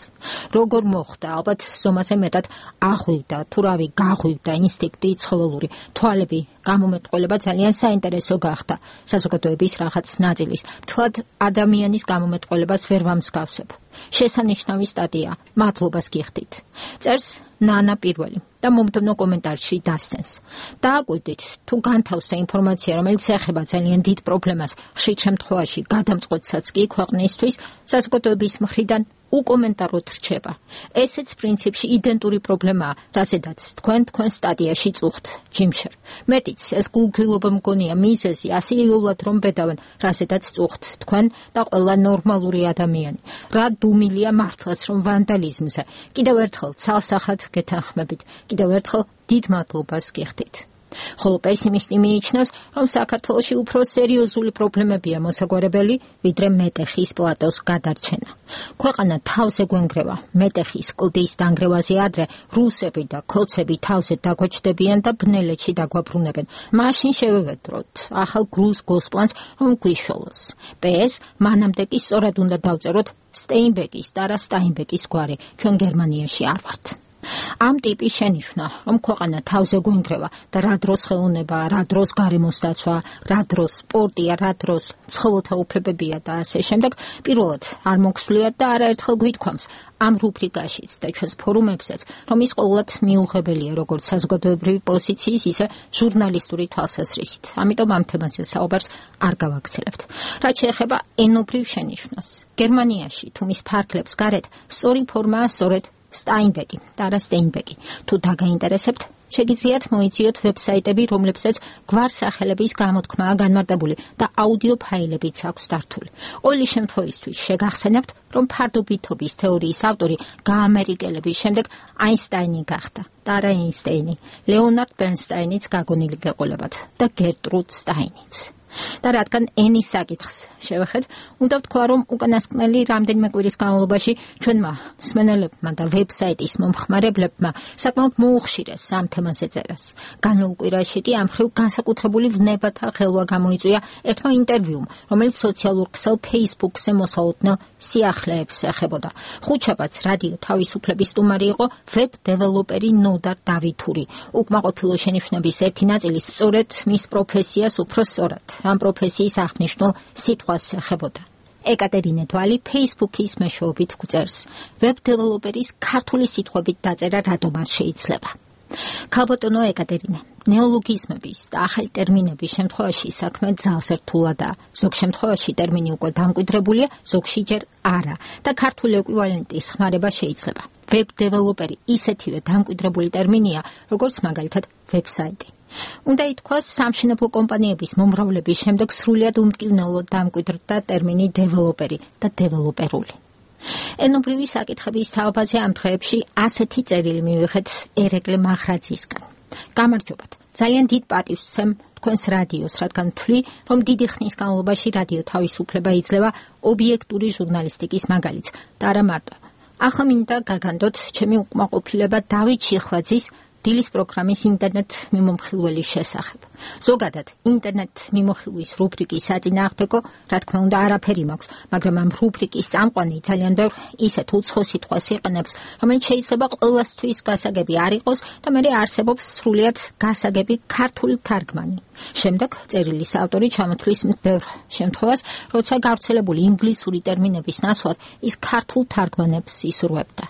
როგორ მოხდა, ალბათ ზომაზე მეტად აღვივდა, თუ რავი, გაღვივდა ინსტინქტი, ცხოველური თვალები, გამომეტყველება ძალიან საინტერესო გახდა. საზოგადოების რაღაც ნაწილის, მთლად ადამიანის გამომეტყველებას ვერ ვამსგავსებ. შესანიშნავი სტატია, მადლობას გიხდით. წერს ნანა პირველი და მომდევნო კომენტარში დასცენს. დააკვირდით, თუ განთავსა ინფორმაცია, რომელიც ეხება ძალიან დიდ პრობლემას, ხშირ შემთხვევაში გადამწყვეტსაც კი ქვეყნისთვის, საზოგადოების მხრიდან უკომენტაროდ რჩება. ესეც პრინციპში იდენტური პრობლემაა, რაზედაც თქვენ თქვენ სტატიაში წუხთ, ჯიმშერ. მეტიც, ეს გულგრილობა მგონია მიზეზი ასეულად რომ ბედავენ, რაზედაც წუხთ თქვენ და ყველა ნორმალური ადამიანი. რა დუმილია მართლაც რომ ვანდალიზმზე. კიდევ ერთხელ ცალსახად გეთანხმებით, კიდევ ერთხელ დიდ მადლობას გიხდით. ხოლო პესიმისტი მიიჩნევს, რომ საქართველოში უფრო სერიოზული პრობლემებია მოსაგვარებელი, ვიდრე მეტეხის პლატოს გადარჩენა. ქვეყანა თავზე გვენგრევა, მეტეხის კლდის დანგრევაზე ადრე რუსები და ქოცები თავზე დაგვაჩდებიან და ბნელეთში დაგვაბრუნებენ. მაშინ შევევედროთ ახალ გრუს გოსპლანს, რომ გვიშველოს. პეს მანამდე კი სწორად უნდა დავწეროთ სტეინბეკის და რა სტაინბეკის გვარი, ჩვენ გერმანიაში არ ვართ. ამ ტიპის შენიშვნა, რომ ქვეყანა თავზე გვენგრევა და რა დროს ხელოვნება, რა დროს გარემოს დაცვა, რა დროს სპორტია, რა დროს ცხოველთა უფლებებია და ასე შემდეგ, პირველად არ მოგსვლია და არაერთხელ გვითქვამს ამ რუბრიკაშიც და ჩვენს ფორუმებსაც, რომ ის ყოველად მიუღებელია როგორც საზოგადოებრივი პოზიციის, ისე ჟურნალისტური თვალსაზრისით. ამიტომ ამ თემაზე საუბარს არ გავაგრძელებთ. რაც შეეხება ენობრივ შენიშვნას, გერმანიაში თუ მის ფარგლებს გარეთ სწორი ფორმაა სწორედ სტაინბეკი და რა სტეინბეკი. თუ დაგაინტერესებთ, შეგიძლიათ მოიძიოთ ვებსაიტები, რომლებსაც გვარსახელების გამოთქმაა განმარტებული და აუდიო ფაილებიც აქვს დართული. ყოველი შემთხვევისთვის შეგახსენებთ, რომ ფარდობითობის თეორიის ავტორი გაამერიკელების შემდეგ აინსტაინი გახდა და არა ეინსტეინი, ლეონარდ ბერნსტაინიც გაგონილი გეყოლებათ და გერტრუდ სტაინიც. და რადგან ენის საკითხს შევეხეთ, უნდა ვთქვა, რომ უკანასკნელი რამდენიმე კვირის განმავლობაში ჩვენმა მსმენელებმა და ვებსაიტის მომხმარებლებმა საკმაოდ მოუხშირეს ამ თემაზე წერას. განულ კვირაში კი ამ მხრივ განსაკუთრებული ვნებათა ხელვა გამოიწვია ერთმა ინტერვიუმ, რომელიც სოციალურ ქსელ Facebook-ზე მოსალოდნელ სიახლეებს ეხებოდა. ხუთშაბათს რადიო თავისუფლების სტუმარი იყო ვებ დეველოპერი ნოდარ დავითური. უკმაყოფილო შენიშვნების ერთი ნაწილი სწორედ მის პროფესიას უფრო სწორად ამ პროფესიის აღნიშნულ სიტყვას ეხებოდა. ეკატერინე თვალი Facebook-ის მეშვეობით გვწერს, ვებ დეველოპერის ქართული სიტყვებით დაწერა რატომ არ შეიძლება. ქალბატონო ეკატერინე, ნეოლოგიზმების და ახალი ტერმინების შემთხვევაში საქმე ძალზე რთულადაა. ზოგ შემთხვევაში ტერმინი უკვე დამკვიდრებულია, ზოგში ჯერ არა და ქართული ეკვივალენტის ხმარება შეიძლება. ვებ დეველოპერი ისეთივე დამკვიდრებული ტერმინია, როგორც მაგალითად ვებსაიტი. უნდა ითქვას, სამშენებლო კომპანიების მომრავლების შემდეგ სრულიად უმტკივნეულოდ დამკვიდრდა ტერმინი დეველოპერი და დეველოპერული. ენობრივი საკითხების თაობაზე ამ დღეებში ასეთი წერილი მივიღეთ ერეკლე მახრაძისგან. გამარჯობათ. ძალიან დიდ პატივს ვცემ თქვენს რადიოს, რადგან ვთვლი, რომ დიდი ხნის განმავლობაში რადიო თავისუფლება იძლევა ობიექტური ჟურნალისტიკის მაგალითს და არა მარტო. ახლა მინდა გაგანდოთ ჩემი უკმაყოფილება დავით შიხლაძის დილის პროგრამის ინტერნეტ მიმომხილველის შესახებ. ზოგადად, ინტერნეტ მიმოხილვის რუბრიკის საწინააღმდეგო, რა თქმა უნდა, არაფერი მაქვს, მაგრამ ამ რუბრიკის წამყვანი ძალიან ბევრ ისეთ უცხო სიტყვას იყენებს, რომელიც შეიძლება ყველასთვის გასაგები არ იყოს და მე არსებობს სრულიად გასაგები ქართული თარგმანი. შემდეგ წერილის ავტორი ჩამოთვლის ბევრ შემთხვევას, როცა გავრცელებული ინგლისური ტერმინების ნაცვლად ის ქართულ თარგმანებს ისურვებდა.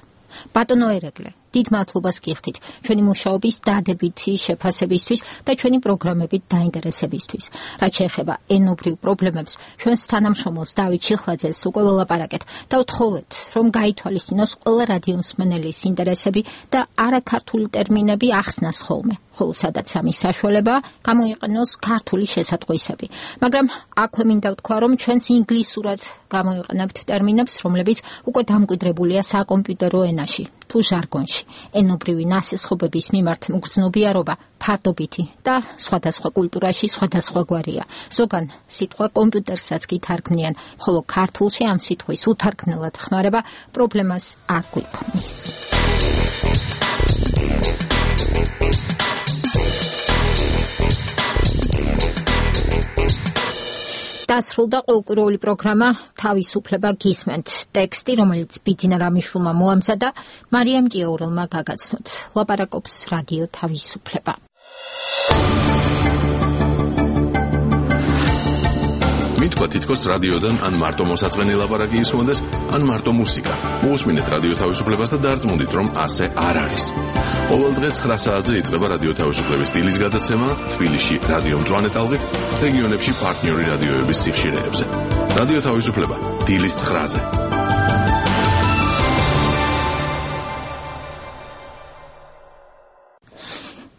ბატონო ერეკლე, დიდ მადლობას გიხდით ჩვენი მუშაობის დადებითი შეფასებისთვის და ჩვენი პროგრამებით დაინტერესებისთვის. რაც შეეხება ენობრივ პრობლემებს, ჩვენს თანამშრომელს დავით შიხლაძეს უკვე ველაპარაკეთ და ვთხოვეთ, რომ გაითვალისწინოს ყველა რადიო მსმენელის ინტერესები და არაქართული ტერმინები ახსნას ხოლმე. ხოლო სადაც ამის საშუალებაა, გამოიყენოს ქართული შესატყვისები. მაგრამ აქვე მინდა ვთქვა, რომ ჩვენს ინგლისურად გამოიყენებთ ტერმინებს, რომლებიც უკვე დამკვიდრებულია საკომპიუტერო ენაში თუ ჟარგონში. ენობრივი ნასესხობების მიმართ მგრძნობიარობა ფარდობითი და სხვადასხვა კულტურაში სხვადასხვაგვარია. ზოგან სიტყვა კომპიუტერსაც გითარგმნიან, ხოლო ქართულში ამ სიტყვის უთარგმნელად ხმარება პრობლემას არ გვიქმნის. დასრულდა ყოველკვირეული პროგრამა თავისუფლება გისმენთ. ტექსტი, რომელიც ბიძინა რამიშვილმა მოამზადა, მარიამ ჭიაურელმა გაგაცნოთ. ლაპარაკობს რადიო თავისუფლება. მითქვა თითქოს რადიოდან ან მარტო მოსაწყენი ლაპარაკი ისმოდეს, ან მარტო მუსიკა. მოусმინეთ რადიო თავისუფლებას და დარწმუნდით, რომ ასე არ არის. ყოველ დღე ცხრა საათზე იწყება რადიო თავისუფლების დილის გადაცემა თბილისში რადიო მწვანე ტალღით, რეგიონებში პარტნიორი რადიოების სიხშირეებზე. რადიო თავისუფლება დილის ცხრაზე.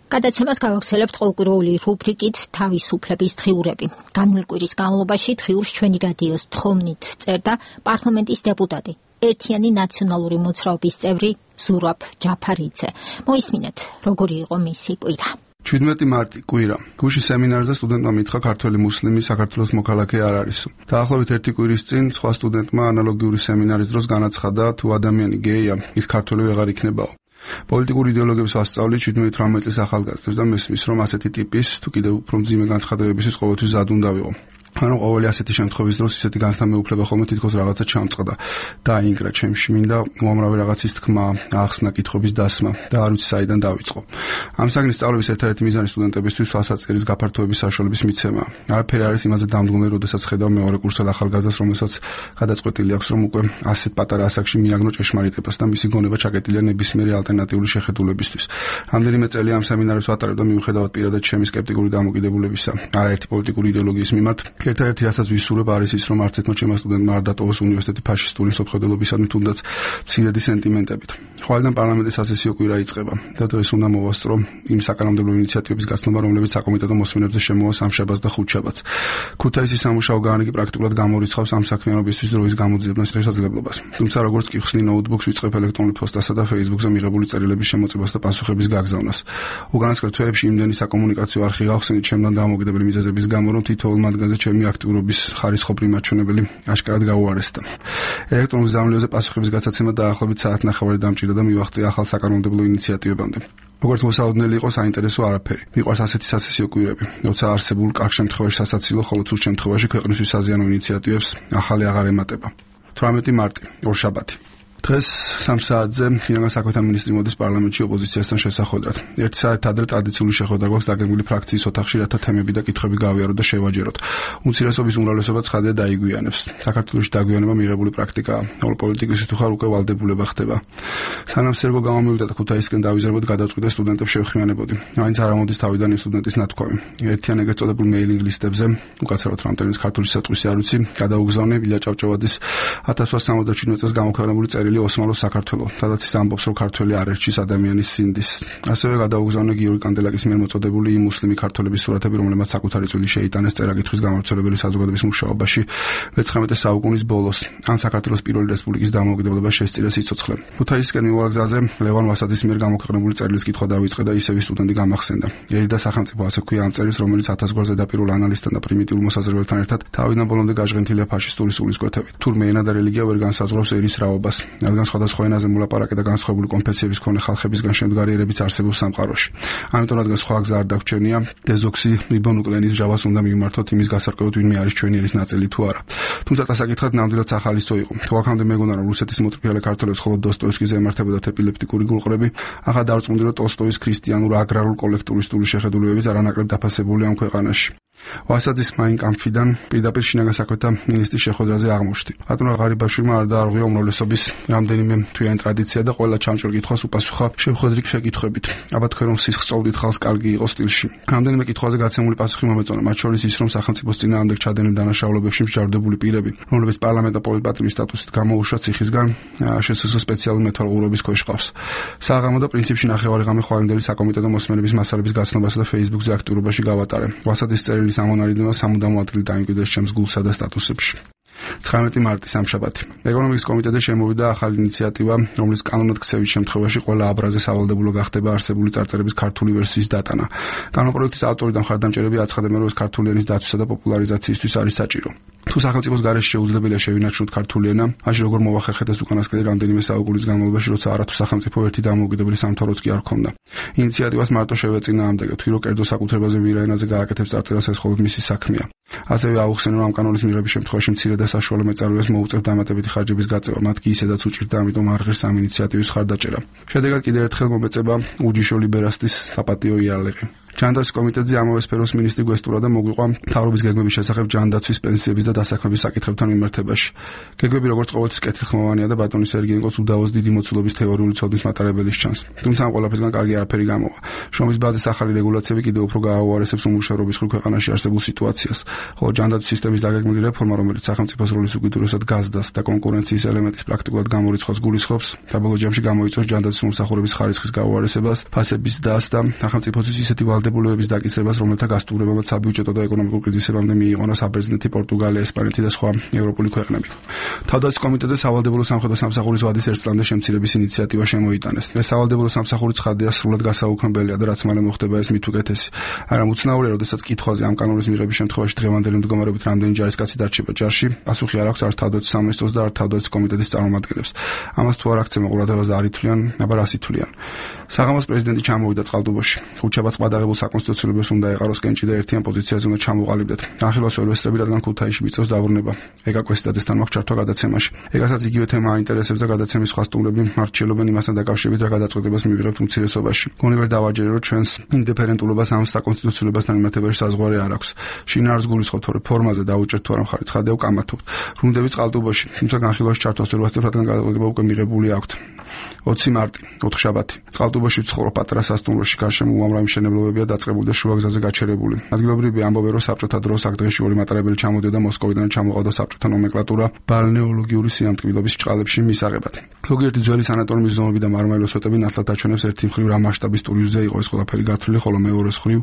გადაცემას გავაგრძელებთ ყოველკვირეული რუბრიკით თავისუფლების დღიურები. განვლილი კვირის განმავლობაში დღიურს ჩვენი რადიოს თხოვნით წერდა პარლამენტის დეპუტატი, ერთიანი ნაციონალური მოძრაობის წევრი ზურაბ ჯაფარიძე. მოისმინეთ, როგორი იყო მისი კვირა. შვიდმეტი მარტი კვირა. გუშინ სემინარზე სტუდენტმა მითხრა ქართველი მუსლიმი საქართველოს მოქალაქე არ არისო. დაახლოებით ერთი კვირის წინ სხვა სტუდენტმა ანალოგიური სემინარის დროს განაცხადა, თუ ადამიანი გეია, ის ქართველი ვეღარ იქნებაო. პოლიტიკური იდეოლოგიების ასწავლით შვიდმეტი რამე წლის ახალგაზრდებს და მესმის, რომ ასეთი ტიპის თუ კიდევ უფრო მძიმე განცხადებებისთვის ყოველთვის ზად უნდა ვიყო. ანუ ყოველი ასეთი შემთხვევის დროს ისეთი განცდა მეუფლება ხოლმე თითქოს რაღაცა ჩამწყდა და აინგრა ჩემში, მინდა უამრავი რაღაცის თქმა, ახსნა კითხვების დასმა და არ ვიცი საიდან დავიწყო. ამ საგნის სწავლების ერთადერთი მიზანი სტუდენტებისთვის თვალსაჩინოს გაფართოების საშუალების მიცემა. არაფერი არის იმაზე დამდგომი, როდესაც ხედავ მეორე კურსელ ახალგაზრდას, რომელსაც გადაწყვეტილი აქვს, რომ უკვე ასეთ პატარა ასაკში მიაგნო ჭეშმარიტებას და მისი გონება ჩაკეტილია ნებისმიერი ალტერნატიული შეხედულებისთვის. რამდენიმე წელი ამ სემინარებს ვატარებ და მიუხედავად პირადად ჩემი სკეპტიკური დამოკიდებულებისა, არაერთი პოლიტიკური იდეოლოგიის მიმართ, ერთადერთი რასაც ვისურვებ არის ის, რომ არც ერთმა ჩემმა სტუდენტმა არ დატოვოს უნივერსიტეტი ფაშისტური მსოფლმხედველობისადმი თუნდაც მცირედი სენტიმენტებით. ხვალიდან პარლამენტის სასესიო კვირა იწყება და დღეს უნდა მოვასწრო იმ საკანონმდებლო ინიციატივების გაცნობა, რომლებიც საკომიტეტო მოსმენებზე შემოვა სამშაბათს და ხუთშაბათს. ქუთაისის სამუშაო განრიგი პრაქტიკულად გამორიცხავს ამ საქმიანობისთვის დროის გამოძიებას შესაძლებლობას. თუმცა როგორც კი ხსნი ნოუთბუქს ვიწყებ ელექტრონულ პოსტასა და Facebook-ზე მიღებული წერილების შემოწებას და პასუხების გაგზავნას. უკანასკნელ თვეებში იმდენი საკომუნიკაციო არხი გავხსენით ჩემთან დამოკიდებული მიზეზების გამო, რომ თითოეულ მათგანზე ჩემი აქტიურობის ხარისხობრივი მაჩვენებელი აშკარად გაუარესდა. ელექტრონულ ზამთრიაზე პასუხების გაცაცემა დაახლოებით საათნახევარი დამჭირდა და მივახწია ახალ საკანონმდებლო ინიციატივებამდე. როგორც მოსაოდნელი იყო, საინტერესო არაფერი. მიყვარს ასეთი სასესიო კვირები, როცა არსებულ კარგ შემთხვევაში სასაცილო, ხოლო ცუდ შემთხვევაში ქვეყნისთვის საზიანო ინიციატივებს ახალი აღარ ემატება. თვრამეტი მარტი, ორშაბათი. დღეს სამ საათზე ინგლისის საქმეთა მინისტრი მოდის პარლამენტში ოპოზიციასთან შესახვედრად. ერთი საათით ადრე ტრადიციული შეხვედრა გვაქვს დაგეგმილი ფრაქციის ოთახში, რათა თემები და კითხვები გავიაროთ და შევაჯეროთ. უმცირესობის უმრავლესობა ცხადია დაიგვიანებს. საქართველოში დაგვიანება მიღებული პრაქტიკაა. ყოველ პოლიტიკოსი თუ ხარ უკვე ვალდებულება ხდება. სანამ სერგო გამომივიდა და ქუთაისკენ დავიზარბოთ, გადავწყვიტე სტუდენტებს შევხმიანებოდი. მაინც არ ამოდის თავიდან იმ სტუდენტის ნათქვამი. ერთიან ეგრეთ წოდებულ მეილინგ ლისტებზე, უკაცრავად რამდენიც ქართული სიტყვის არ ვიცი, გადაუგზავნე ილია ჭავჭავაძის ათას ოცდაათი სამოცდაშვიდი წელს გამოქვეყნებული წერილი ოსმალოს საქართველო, სადაც ის ამბობს, რომ ქართველი არ ერჩის ადამიანის სინდის. ასევე გადაუგზავნე გიორგი კანდელაკის მიერ მოწოდებული იმ მუსლიმი ქართველების სურათები, რომლებმაც საკუთარი წვლილი შეიტანეს წერა-კითხვის გამავრცელებელი საზოგადოების მუშაობაში მეცხრამეტე საუკუნის ბოლოს. ან საქართველოს პირველი რესპუბლიკის დამოუკიდებლობა შესწირა სიცოცხლე. ქუთაისკენ მივავალ გზაზე ლევან ვასაძის მიერ გამოქვეყნებული წერილის კითხვა დავიწყე და ისევ სტუდენტი გამახსენდა. ერიდა სახელმწიფო ასე ქვია ამ წერილს, რომელიც ათასგვარ ზედაპირულ ანალისტთან და პრიმიტიულ მოსაზრებებთან ერთად თავიდან ბოლომდე გაჟღენთილია ფაშისტური სულისკვეთებით. თურმე ენა და რელიგია ვერ განსაზღვრავს ერის რაობას. რადგან სხვადასხვა ენაზე მოლაპარაკე და განსხვავებული კონფესიების მქონე ხალხებისგან შემდგარიერებიც არსებობს სამყაროში. ამიტომ რადგან სხვა გზა არ დაგვრჩენია, დეზოქსი რიბონუკლენის ჯავას უნდა მიმართოთ იმის გასარკვევად, ვინმე არის ჩვენი ერის ნაწილი თუ არა. თუმცა დასაკითხად ნამდვილად სახალისო იყო. თუ აქამდე მეგონა რომ რუსეთის მოტრფიალე ქართველებს მხოლოდ დოსტოევსკიზე ემართებოდათ ეპილეპტიკური გულყრები, ახლა დავწმუნდი რომ ტოლსტოის ქრისტიანულ აგრარულ კოლექტურისტული შეხედულებებიც არანაკლებ დაფასებულია ამ ქვეყანაში. ვასაძის მაინ კამფიდან პირდაპირ შინაგან საქმეთა მინისტრის შეხვედრაზე აღმოჩნდი. ბატონო ღარიბაშვილმა არ დაარღვია უმრავლესობის რამდენიმე თვიანი ტრადიცია და ყველა ჩამჭრელ კითხვას უპასუხა შეხვედრით შეკითხვებით. აბა თქვენ რომ სისხლს წოვდით ხალხს კარგი იყო სტილში. რამდენიმე კითხვაზე გაცემული პასუხი მომეწონა, მათ შორის ის რომ სახელმწიფოს წინააღმდეგ ჩადენილ დანაშაულებებში მსჯავრდებული პირები, რომლებიც პარლამენტ და პოლიტპატიმრის სტატუსით გამოუშვათ ციხისგან, შესაძლოა სპეციალური მეთვალყურების ქვეშ ყავს. საღამო და პრინციპში ნახევარი ღამე ხვალინდელი საკომიტეტო მოსმენების მასალების გაცნობასა და Facebook-ზე აქტიურობაში გავატარე. ვასაძის წერილი სამონარიდნევა სამუდამო ადგილი დაიმკვიდრეს ჩემს გულსა და სტატუსებში. ცხრამეტი მარტი სამშაბათი. ეკონომიკის კომიტეტზე შემოვიდა ახალი ინიციატივა, რომლის კანონად ქცევის შემთხვევაში ყველა აბრაზე სავალდებულო გახდება არსებული წარწერების ქართული ვერსიის დატანა. კანონპროექტის ავტორი და მხარდამჭერები აცხადებენ, რომ ეს ქართული ენის დაცვისა და პოპულარიზაციისთვის არის საჭირო. თუ სახელმწიფოს გარეშე შეუძლებელია შევინარჩუნოთ ქართული ენა, მაშინ როგორ მოვახერხეთ ეს უკანასკნელი რამდენიმე საუკუნის განმავლობაში, როცა არათუ სახელმწიფო ერთი დამოუკიდებელი სამთავროც კი არ ჰქონდა. ინიციატივას მარტო შევეწინააღმდეგე, თუ რო კერძო საკუთრებაზე ვირა ენაზე გააკეთებს წარწერას, ეს მხოლოდ მისი საქმეა. ასევე აუხსენო, რომ ამ კანონის მიღების შემთხვევაში მცირე და საშუალო მეწარმეებს მოუწევთ დამატებითი ხარჯების გაწევა, მათ კი ისედაც უჭირდა, ამიტომ არ ღირს ამ ინიციატივის ხარდაჭერა. შედეგად კიდევ ერთხელ მომეწება უჯიშო ლიბერასტის საპატიო იარაღი. ჯანდაცვის კომიტეტზე ამავე სფეროს მინისტრი გვესტურა და მოგვიყვა მთავრობის გეგმების შესახებ ჯანდაცვის, პენსიების და დასაქმების საკითხებთან მიმართებაში. გეგმები როგორც ყოველთვის კეთილხმოვანია და ბატონი სერგეენკოს უდავოს დიდი მოცულობის თეორიული ცოდნის მატარებელის ჩანს. თუმცა ამ ყველაფერთან კარგი არაფერი გამოვა. შრომის ბაზის ახალი რეგულაციები კიდევ უფრო გააუარესებს უმუშევრობის მხრივ ქვეყანაში არსებულ სიტუაციას, ხოლო ჯანდაცვის სისტემის დაგეგმილი რეფორმა, რომელიც სახელმწიფოს როლის უკიდურესად გაზრდას და კონკურენციის ელემენტის პრაქტიკულად გამორიცხვას გულისხმობს, საბოლოო ჯამში გამოიწვევს ჯანდაცვის მომსახურების ხარისხის გაუარესებას, ფასების დას და სახელმწიფოსთვის ისეთი ვალდებულებების დაკისრებას, რომელთა გასტუმრებამაც საბიუჯეტო და ეკონომიკურ კრიზისებამდე მიიღონა საბერძნეთი, პორტუგალია, ესპანეთი და სხვა ევროპული ქვეყნები. თავდაცვის კომიტეტზე სავალდებულო სამხედრო სამსახურის ვადის ერთ წლამდე შემცირების ინიციატივა შემოიტანეს. ეს სავალდებულო სამსახური ცხადია სრულად გასაუქმებელია და რაც მალე მოხდება ეს მით უკეთესი. არა უცნაურია, როდესაც კითხვაზე ამ კანონის მიღების შემთხვევაში დღევანდელი მდგომარეობით რამდენი ჯარისკაცი დარჩება ჯარში, პასუხი არ აქვს არც თავდაცვის სამინისტროს და არც თავდაცვის კომიტეტის წარმომადგენლებს. ამას თუ არ აქცევენ ყურადღებას არ ითვლიან, აბა რას ითვლიან. საღამოს პრეზიდენტი ჩამოვიდა წყალტუბოში. ხუთშაბათს ყადაღებულ საკონსტიტუციურობას უნდა ეყაროს კენჭი და ერთიან პოზიციაზე უნდა ჩამოყალიბდეთ. ახილვას ველვესწრები, რადგან ქუთაისში მიწევს დაბრუნება. ეკა კვესტაძესთან მაქვს ჩართვა გადაცემაში. ეკასაც იგივე თემა აინტერესებს და გადაცემის სხვა სტუმრები მარჩიელობენ იმასთან დაკავშირებით, რა გადაწყვეტებას მივიღებთ უმცირესობაში. გონი ვერ დავაჯერე, რომ ჩვენს ინდიფერენტულობას ამ საკონსტიტუციურობასთან მიმართებაში საზღვარი არ აქვს. შინაარს გულისხმობთ, რომ ფორმაზე დაუჭერთ თუ არა მხარი, ცხადია ვკამათობთ. ბრუნდებით წყალტუბოში, თუმცა განხილვაში ჩართვას ვერ ვასწრებ, რადგან გადაწყვეტება უკვე მიღებული აქვთ. ოცი მარტი, ოთხშაბათი. წყალტუბოში ვცხოვრობ პატარა სასტუმროში, გარშემო უამრავი მშენებლობებია დაწყებული და შუაგზაზე გაჩერებული. ადგილობრივები ამბობენ, რომ საბჭოთა დროს აქ დღეში ორი მატარებელი ჩამოდიოდა მოსკოვიდან ჩამოყავდა საბჭოთა ნომენკლატურა ბალნეოლოგიური სიამტკბილობის ჭყალებში მისაღებად. ზოგიერთი ძველი სანატორიუმის ზომები და მარმარილოს სვეტები ნათლად აჩვენებს ერთი მხრივ რა მასშტაბის ტურიზმზე იყო ეს ყველაფერი გათვლილი, ხოლო მეორე მხრივ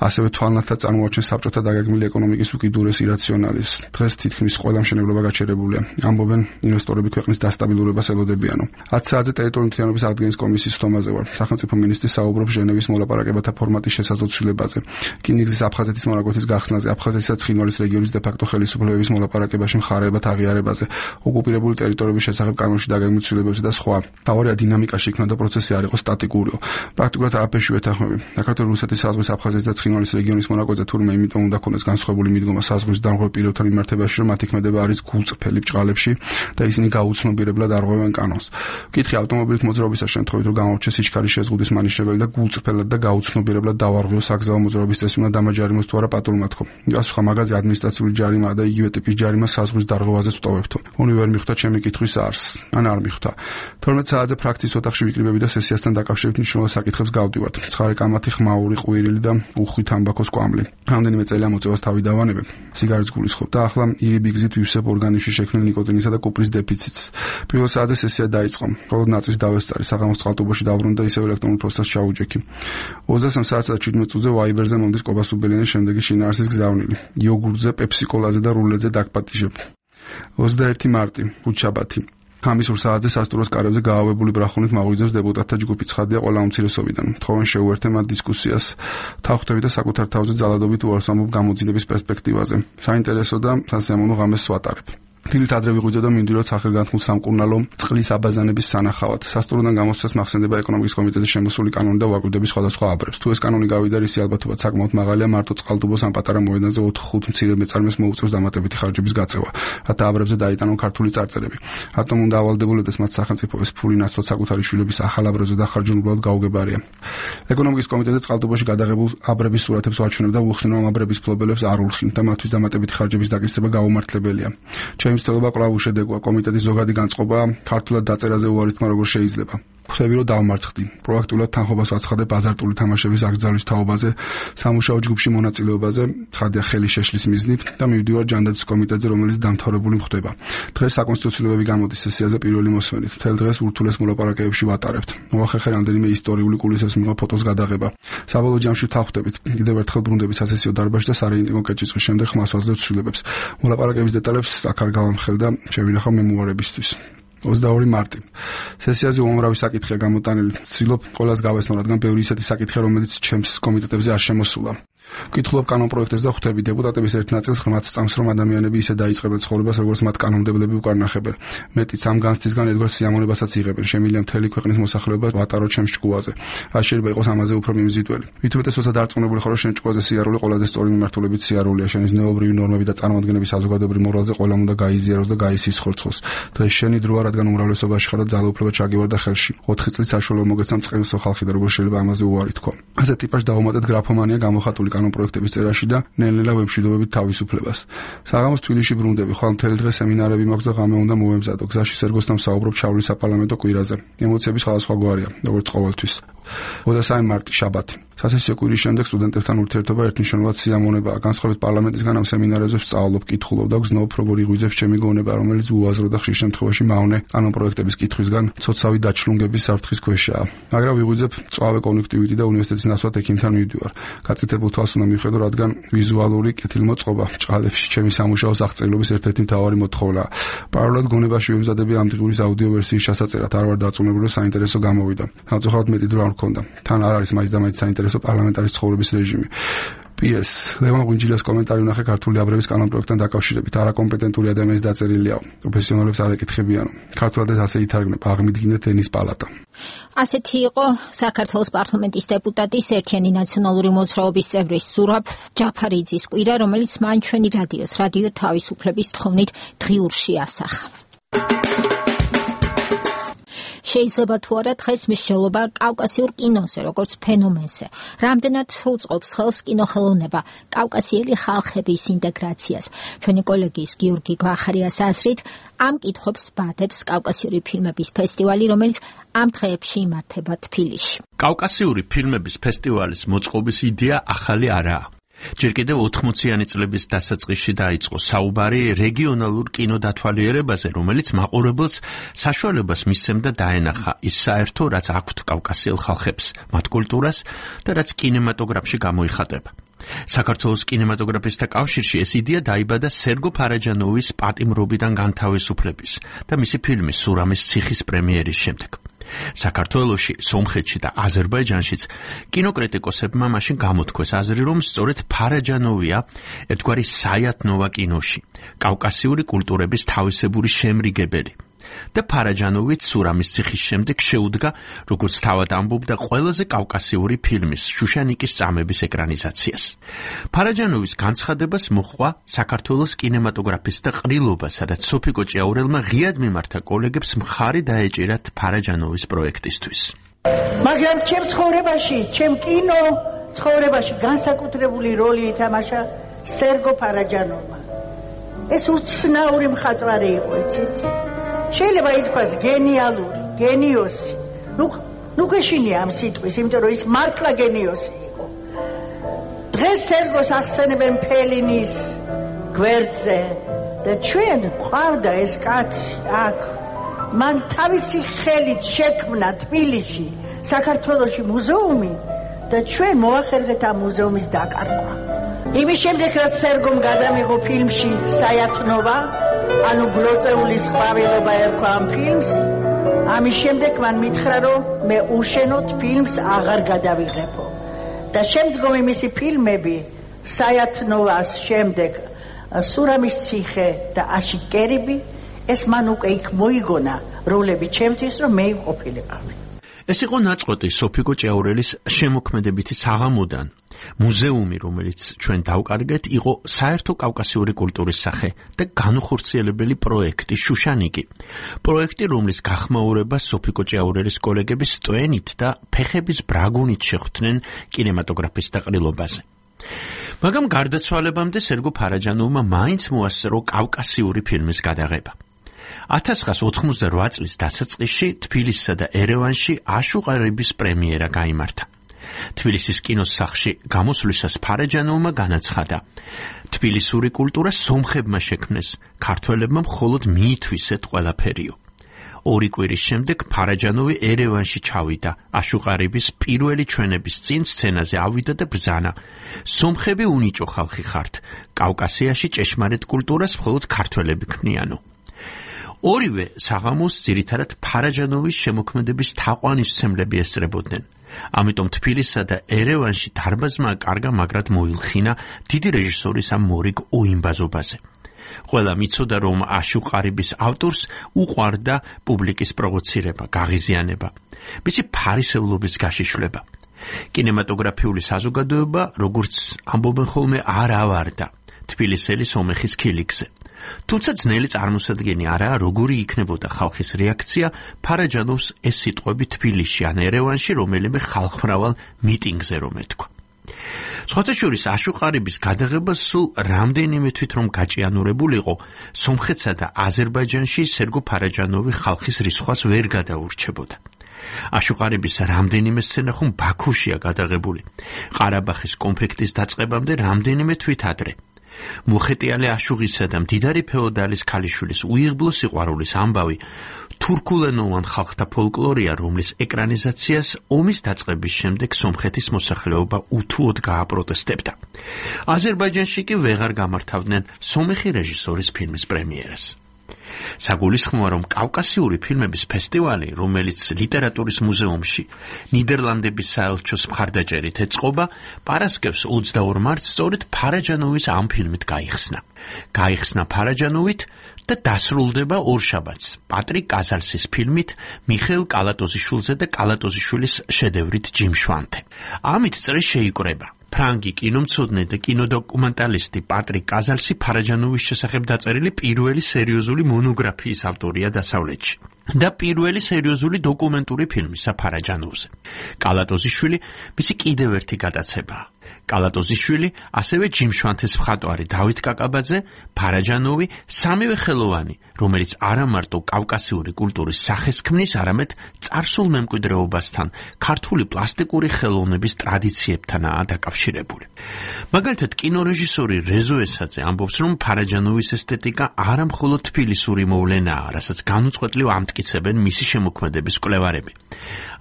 ასევე თვალნათლად წარმოაჩენს საბჭოთა დაგეგმილი ეკონომიკის უკიდურეს ირაციონალის. დღეს თითქმის ყველა მშენებლობა გაჩერებულია. ამბობენ ინვესტორები ქვეყნის დასტაბილურებას ელოდებიანო. ათი საათზე ტერიტორიული მთლიანობის აღდგენის კომისიის თომაზე ვარ. სახელმწიფო მინისტრი საუბრობს ჟენევის მოლაპარაკებათა ფორმატის შესაძლებლობაზე. რკინიგზის აფხაზეთის მონაკვეთის გახსნაზე, აფხაზეთისა და ცხინვალის რეგიონის დე-ფაქტო ხელისუფლებების მოლაპარაკებაში მხარეებად აღიარებაზე, ოკუპირებული ტერიტორიების შესახებ კანონში დაგეგმილ ცვლილებებზე და სხვა. თავარია დინამიკაში იქნა და პროცესი არ იყო სტატიკურიო. პრაქტიკულად არაფერში ვეთანხმები. საქართველოს რუსეთის საზღვრის აფხაზეთის და ცხინვალის რეგიონის მონაკვეთზე თურმე იმიტომ უნდა ქონდეს განსხვავებული მიდგომა საზღვრის დამღვრელ პირებთან მიმართებაში, რომ მათი ქმედება არის გულწრფელი ბჭყალებში და ისინი გაუცნობიერებლად არღვევენ კანონს. ვკითხე ავტომობილით მოძრაობისას შემთხვევით, რომ გამოჩნდეს სიჩქარის შეზღუდვის მანიშნებელი და გულწრფელად და გაუცნობიერებლად დავარღვიო საგზაო მოძრაობის წესი უნდა დამაჯარიმოს თუ არა პატრულმა თქო. პასუხა მაგაზე ადმინისტრაციული ჯარიმაა და იგივე ტიპის ჯარიმა საზღვრის დარღვევაზე ვტოვებთო. უნი ვერ მიხვდა ჩემი კითხვის არსს. ან არ მიხვდა. თორმეტ საათზე ფრაქციის ოთახში ვიკრიბები და სესიასთან დაკავშირებით მნიშვნელოვან საკითხებს გავდივართ. ცხარე კამათი, ხმაური, ყვირილი და უხვი თამბაქოს კვამლი. რამდენიმე წელია მოწევას თავი დავანებებ. სიგარეტს გულისხმობ და ახლა ირიბი გზით ვივსებ ორგანიზმში შექმნილ ნიკოტინისა და კუპრის დეფიციტს. პირველ საათზე სესია დაიწყო. მხოლოდ ნაწრის დავესწარი, საღამოს წყალტუბოში დავბრუნდა და ისევ ელექტრონულ ფოსტას ჩაუჯექი. ოცდასამ საათსა და შვიდმეტ წუთზე ვაიბერზე მომდის კობა სუბელიანის შემდეგი შინაარსის გზავნილი. იოგურტზე, პეპსიკოლაზე და რულედზე დაგპატიჟებ. ოცდაერთი მარტი, ხუთშაბათი. ხამისურ საათზე სასტუმროს კარებზე გაავებული ბრახუნით მაღვიძებს დეპუტატთა ჯგუფი. ცხადია ყველა უმცირესობიდან. თხოვენ შეუერთე მათ დისკუსიას. თავხტები და საკუთარ თავზე ძალადობით უარს ამბობ გამოძიების პერსპექტივაზე. საინტერესო და სასიამოვნო ღამეს ვატარებ. დილით ადრე ვიღვიძე და მინდვილად სახელგანთმულ სამკურნალო წყლის აბაზანების სანახავად. სასტუმროდან გამოსვლას მახსენდება ეკონომიკის კომიტეტის შემოსული კანონი და ვაკვირდების სხვადასხვა აბრებს. თუ ეს კანონი გავიდა, ისი ალბათობაც საკმაოდ მაღალია, მარტო წყალტუბოს ამ პატარა მოედანზე ოთხ-ხუთ მცირე მეწარმეს მოუწევს დამატებითი ხარჯების გაწევა, რათა აბრებზე დაიტანონ ქართული წარწერები. რატომ უნდა ავალდებოდეს მათ სახელმწიფო ეს ფული ნაცვლად საკუთარი შვილების ახალ აბრებზე დახარჯონ უბრალოდ გაუგებარია. ეკონომიკის კომიტეტზე წყალტუბოში გადაღებულ აბრების სურათებს ვაჩვენებ და ვუხსნო ამ აბრების მფლობელებს არ ულხინ და მათთვის დამატებითი ხარჯების დაკისრება გაუმართლებელია. ჩემი მცდელობა კვლავ უშედეგოა. კომიტეტის ზოგადი განწყობა ქართულად დაწერაზე უარის თქმა როგორ შეიძლება. ხვდები რომ დავმარცხდი. პროაქტულად თანხობას ვაცხადებ აზარტული თამაშების აკრძალვის თაობაზე, სამუშაო ჯგუფში მონაწილეობაზე, ცხადია ხელი შეშლის მიზნით და მივდივარ ჯანდაცვის კომიტეტზე, რომელიც დამთავრებული ხდება. დღეს საკონსტიტუციოებები გამოდის სესიაზე პირველი მოსმენით. მთელ დღეს ურთულეს მოლაპარაკებებში ვატარებთ. მოახერხე რამდენიმე ისტორიული კულისების მიღება ფოტოს გადაღება. საბოლოო ჯამში თავხდებით. კიდევ ერთხელ ბრუნდებით სასესიო დარბაზში და სარეიტინგო კეჭისყრის შემდეგ ხმას ვაძლევთ ცვლილებებს. მოლაპარაკების დეტალებს აქ არ გავამხელ და შევინახავ მემუარებისთვის. ოცდაორი მარტი. სესიაზე უამრავი საკითხია გამოტანილი. ვცდილობ ყველას გავესწრო, რადგან ბევრი ისეთი საკითხია, რომელიც ჩემს კომიტეტებზე არ შემოსულა. ვკითხულობ კანონპროექტებს და ხვდები დეპუტატების ერთ ნაწილს ღრმად სწამს, რომ ადამიანები ისე დაიწყებენ ცხოვრებას, როგორც მათ კანონმდებლები უკარნახებენ. მეტიც ამ განცდისგან ერთგვარ სიამოვნებასაც იღებენ. შემიძლია მთელი ქვეყნის მოსახლეობა ვატაროთ ჩემს ჭკუაზე. რა შეიძლება იყოს ამაზე უფრო მიმზიდველი. ვითომეტეს როცა დარწმუნებული ხარ, რომ შენ ჭკუაზე სიარული ყველაზე სწორი მიმართულებით სიარულია, შენის ნეობრივი ნორმები და წარმოადგენების საზოგადოებრივ მორალზე ყველამ უნდა გაიზიაროს და გაისისხორცხოს. დღეს შენი დროა, რადგან უმრავლესობაში ხარ და ძალაუფლება ჩაგივარდა ხელში. ოთხი წლის საშუალო მოგეცემ წყევსო ხალხი და როგორ შეიძლება ამაზე უარი თქვა. ასე ტიპას დავუმატეთ გრაფომანია გამოხატული პროექტების წერაში და ნელ-ნელა ვემშვიდობებით თავისუფლებას. საღამოს თბილისში ბრუნდები, ხვალ მთელი დღე სემინარები მაქვს და ღამე უნდა მოვემზადო. გზაში სერგოსთან ვსაუბრობ ჩავლის საპარლამენტო კვირაზე. ემოციები სხვადასხვაგვარია, როგორც ყოველთვის. ოცდასამი მარტი შაბათი. სასესიო კვირის შემდეგ სტუდენტებთან ურთიერთობა ერთნიშნულად სიამოვნებაა. განსხვავებით პარლამენტისგან ამ სემინარებზე ვსწავლობ, კითხულობ და გზნობ, როგორ იღვიძებს ჩემი გონება, რომელიც უაზრო და ხშირ შემთხვევაში მავნე კანონპროექტების კითხვისგან ცოცავი დაჩრუნგების საფრთხის ქვეშაა. მაგრამ ვიღვიძებ მწვავე კონექტივიტი და უნივერსიტეტის ნაცვლად ექიმთან მივდივარ. გაწითებულ თვალს უნდა მივხედო, რადგან ვიზუალური კეთილმოწყობა ჭყალებში ჩემი სამუშაოს აღწერილობის ერთ-ერთი მთავარი მოთხოვნაა. პარალელურად გონებაში ვემზადები ამ დღის აუდიო ვერსიის ჩასაწერად. არ ვარ დარწმუნებული, რომ საინტერესო გამოვიდა. სამწუხაროდ მეტი დრო არ მქონდა. თან არ არის მაინც და მაინც საინტერესო პარლამენტარის ცხოვრების რეჟიმი. პი ეს ლევან ღვინჯილიას კომენტარი ვნახე ქართული აბრების კანონპროექტთან დაკავშირებით. არაკომპეტენტური ადამიანის დაწერილია. პროფესიონალებს არ ეკითხებიანო. ქართულადაც ასე ითარგმნება, აღმიდგინეთ ენის პალატა. ასეთი იყო საქართველოს პარლამენტის დეპუტატის ერთიანი ნაციონალური მოძრაობის წევრის ზურაბ ჯაფარიძის კვირა, რომელიც მან ჩვენი რადიოს რადიო თავისუფლების თხოვნით დღიურში ასახა. შეიძლება თუ არა დღეს მსჯელობა კავკასიურ კინოზე, როგორც ფენომენზე. რამდენად უწყობს ხელს კინოხელოვნება კავკასიელი ხალხების ინტეგრაციას. ჩვენი კოლეგის გიორგი გვახარიას აზრით, ამ კითხვებს ბადებს კავკასიური ფილმების ფესტივალი, რომელიც ამ დღეებში იმართება თბილისში. კავკასიური ფილმების ფესტივალის მოწყობის იდეა ახალი არაა. ჯერ კიდევ ოთხმოციანი წლების დასაწყისში დაიწყო საუბარი რეგიონალურ კინოდათვალიერებაზე, რომელიც მაყურებელს საშუალებას მისცემდა დაენახა ის საერთო, რაც აქვთ კავკასიელ ხალხებს, მათ კულტურას და რაც კინემატოგრაფში გამოიხატება. საქართველოს კინემატოგრაფისტთა კავშირში ეს იდეა დაიბადა სერგო ფარაჯანოვის პატიმრობიდან განთავისუფლების და მისი ფილმის სურამის ციხის პრემიერის შემდეგ. საქართველოში, სომხეთში და აზერბაიჯანშიც კინოკრიტიკოსებმა მაშინ გამოთქვეს აზრი, რომ სწორედ ფარაჯანოვია ერთგვარი საიათნოვა კინოში, კავკასიური კულტურების თავისებური შემრიგებელი. და ფარაჯანოვიც სურამის ციხის შემდეგ შეუდგა, როგორც თავად ამბობდა, ყველაზე კავკასიური ფილმის შუშანიკის წამების ეკრანიზაციას. ფარაჯანოვის განცხადებას მოჰყვა საქართველოს კინემატოგრაფისტთა ყრილობა, სადაც სოფიკო ჭიაურელმა ღიად მიმართა კოლეგებს მხარი დაეჭირათ ფარაჯანოვის პროექტისთვის. მაგრამ ჩემ ცხოვრებაში, ჩემ კინო ცხოვრებაში განსაკუთრებული როლი ითამაშა სერგო ფარაჯანოვმა. ეს უცნაური მხატვარი იყო, იცით? შეიძლება ითქვას გენიალური, გენიოსი. ნუ ნუ გეშინია ამ სიტყვის, იმიტომ რომ ის მართლა გენიოსი იყო. დღეს სერგოს ახსენებენ ფელინის გვერდზე და ჩვენ ყავდა ეს კაცი აქ. მან თავისი ხელით შექმნა თბილისში, საქართველოში მუზეუმი და ჩვენ მოახერხეთ ამ მუზეუმის დაკარგვა. იმის შემდეგ, რაც სერგომ გადამიღო ფილმში საიათნოვა, ანუ გლოწეულის ყვავილობა ერქვა ამ ფილმს, ამის შემდეგ მან მითხრა, რომ მე უშენოდ ფილმს აღარ გადავიღებო. და შემდგომი მისი ფილმები საიათნოვას შემდეგ სურამის ციხე და აში კერიბი, ეს მან უკვე იქ მოიგონა როლები ჩემთვის, რომ მე იმყოფილიყავი. ეს იყო ნაწყვეტი სოფიკო ჭიაურელის შემოქმედებითი საღამოდან. მუზეუმი, რომელიც ჩვენ დავკარგეთ, იყო საერთო კავკასიური კულტურის სახე და განუხორციელებელი პროექტი შუშანიკი. პროექტი, რომლის გახმაურება სოფიკო ჭიაურელის კოლეგების სტვენით და ფეხების ბრაგუნით შეხვდნენ კინემატოგრაფისტთა ყრილობაზე. მაგრამ გარდაცვალებამდე სერგო ფარაჯანოვმა მაინც მოასწრო კავკასიური ფილმის გადაღება. ათას ცხრაას ოთხმოცდარვა წლის დასაწყისში თბილისსა და ერევანში აშუყარების პრემიერა გაიმართა. თბილისის კინოს სახლში გამოსვლისას ფარაჯანოვმა განაცხადა: თბილისური კულტურა სომხებმა შექმნეს, ქართველებმა მხოლოდ მიითვისეთ ყველაფერიო. ორი კვირის შემდეგ ფარაჯანოვი ერევანში ჩავიდა. აშუყარების პირველი ჩვენების წინ სცენაზე ავიდა და ბრძანა: სომხები უნიჭო ხალხი ხართ, კავკასიაში ჭეშმარიტ კულტურას მხოლოდ ქართველები ქმნიანო. ორივე საღამოს ძირითადად ფარაჯანოვის შემოქმედების თაყვანისმცემლები ესწრებოდნენ. ამიტომ თბილისსა და ერევანში დარბაზმა კარგა მაგრად მოილხინა დიდი რეჟისორის ამ მორიგ უიმბაზობაზე. ყველა მიცოდა, რომ აშუყარების ავტორს უყვარდა პუბლიკის პროვოცირება, გაღიზიანება, მისი ფარისევლობის გაშიშვლება. კინემატოგრაფიული საზოგადოება, როგორც ამბობენ ხოლმე, არ ავარდა თბილისელი სომეხის ქილიქზე. თუმცა ძნელი წარმოსადგენი არაა, როგორი იქნებოდა ხალხის რეაქცია ფარაჯანოვს ეს სიტყვები თბილისში ან ერევანში რომელიმე ხალხმრავალ მიტინგზე რომ ეთქვა. სხვათა შორის აშუყარების გადაღება სულ რამდენიმე თვით რომ გაჭიანურებულიყო, სომხეთსა და აზერბაიჯანში სერგო ფარაჯანოვი ხალხის რისხვას ვერ გადაურჩებოდა. აშუყარების რამდენიმე სცენა ხომ ბაქუშია გადაღებული, ყარაბახის კონფლიქტის დაწყებამდე რამდენიმე თვით ადრე. მოხეტიალე აშუღისა და მდიდარი ფეოდალის ქალიშვილის უიღბლო სიყვარულის ამბავი თურქულენოვან ხალხთა ფოლკლორია, რომლის ეკრანიზაციას ომის დაწყების შემდეგ სომხეთის მოსახლეობა უთუოდ გააპროტესტებდა. აზერბაიჯანში კი ვეღარ გამართავდნენ სომეხი რეჟისორის ფილმის პრემიერას. საგულისხმოა, რომ კავკასიური ფილმების ფესტივალი, რომელიც ლიტერატურის მუზეუმში ნიდერლანდების საელჩოს მხარდაჭერით ეწყობა, პარასკევს ოცდაორ მარტს სწორედ ფარაჯანოვის ამ ფილმით გაიხსნა. გაიხსნა ფარაჯანოვით და დასრულდება ორშაბათს პატრიკ კაზალსის ფილმით მიხეილ კალატოზიშვილზე და კალატოზიშვილის შედევრით ჯიმშვანთე. ამით წრე შეიკრება. ფრანგი კინომცოდნე და კინოდოკუმენტალისტი პატრიკ კაზალსი ფარაჯანოვის შესახებ დაწერილი პირველი სერიოზული მონოგრაფიის ავტორია დასავლეთში და პირველი სერიოზული დოკუმენტური ფილმისა ფარაჯანოვზე. კალატოზიშვილი მისი კიდევ ერთი გადაცებაა. კალატოზიშვილი, ასევე ჯიმშვანთეს მხატვარი დავით კაკაბაძე, ფარაჯანოვი, სამივე ხელოვანი, რომელიც არა მარტო კავკასიური კულტურის სახეს ქმნის, არამედ წარსულ მემკვიდრეობასთან, ქართული პლასტიკური ხელოვნების ტრადიციებთანაა დაკავშირებული. მაგალითად, კინორეჟისორი რეზო ესაძე ამბობს, რომ ფარაჯანოვის ესთეტიკა არა მხოლოდ თბილისური მოვლენაა, რასაც განუწყვეტლივ ამტკიცებენ მისი შემოქმედების კვლევარები,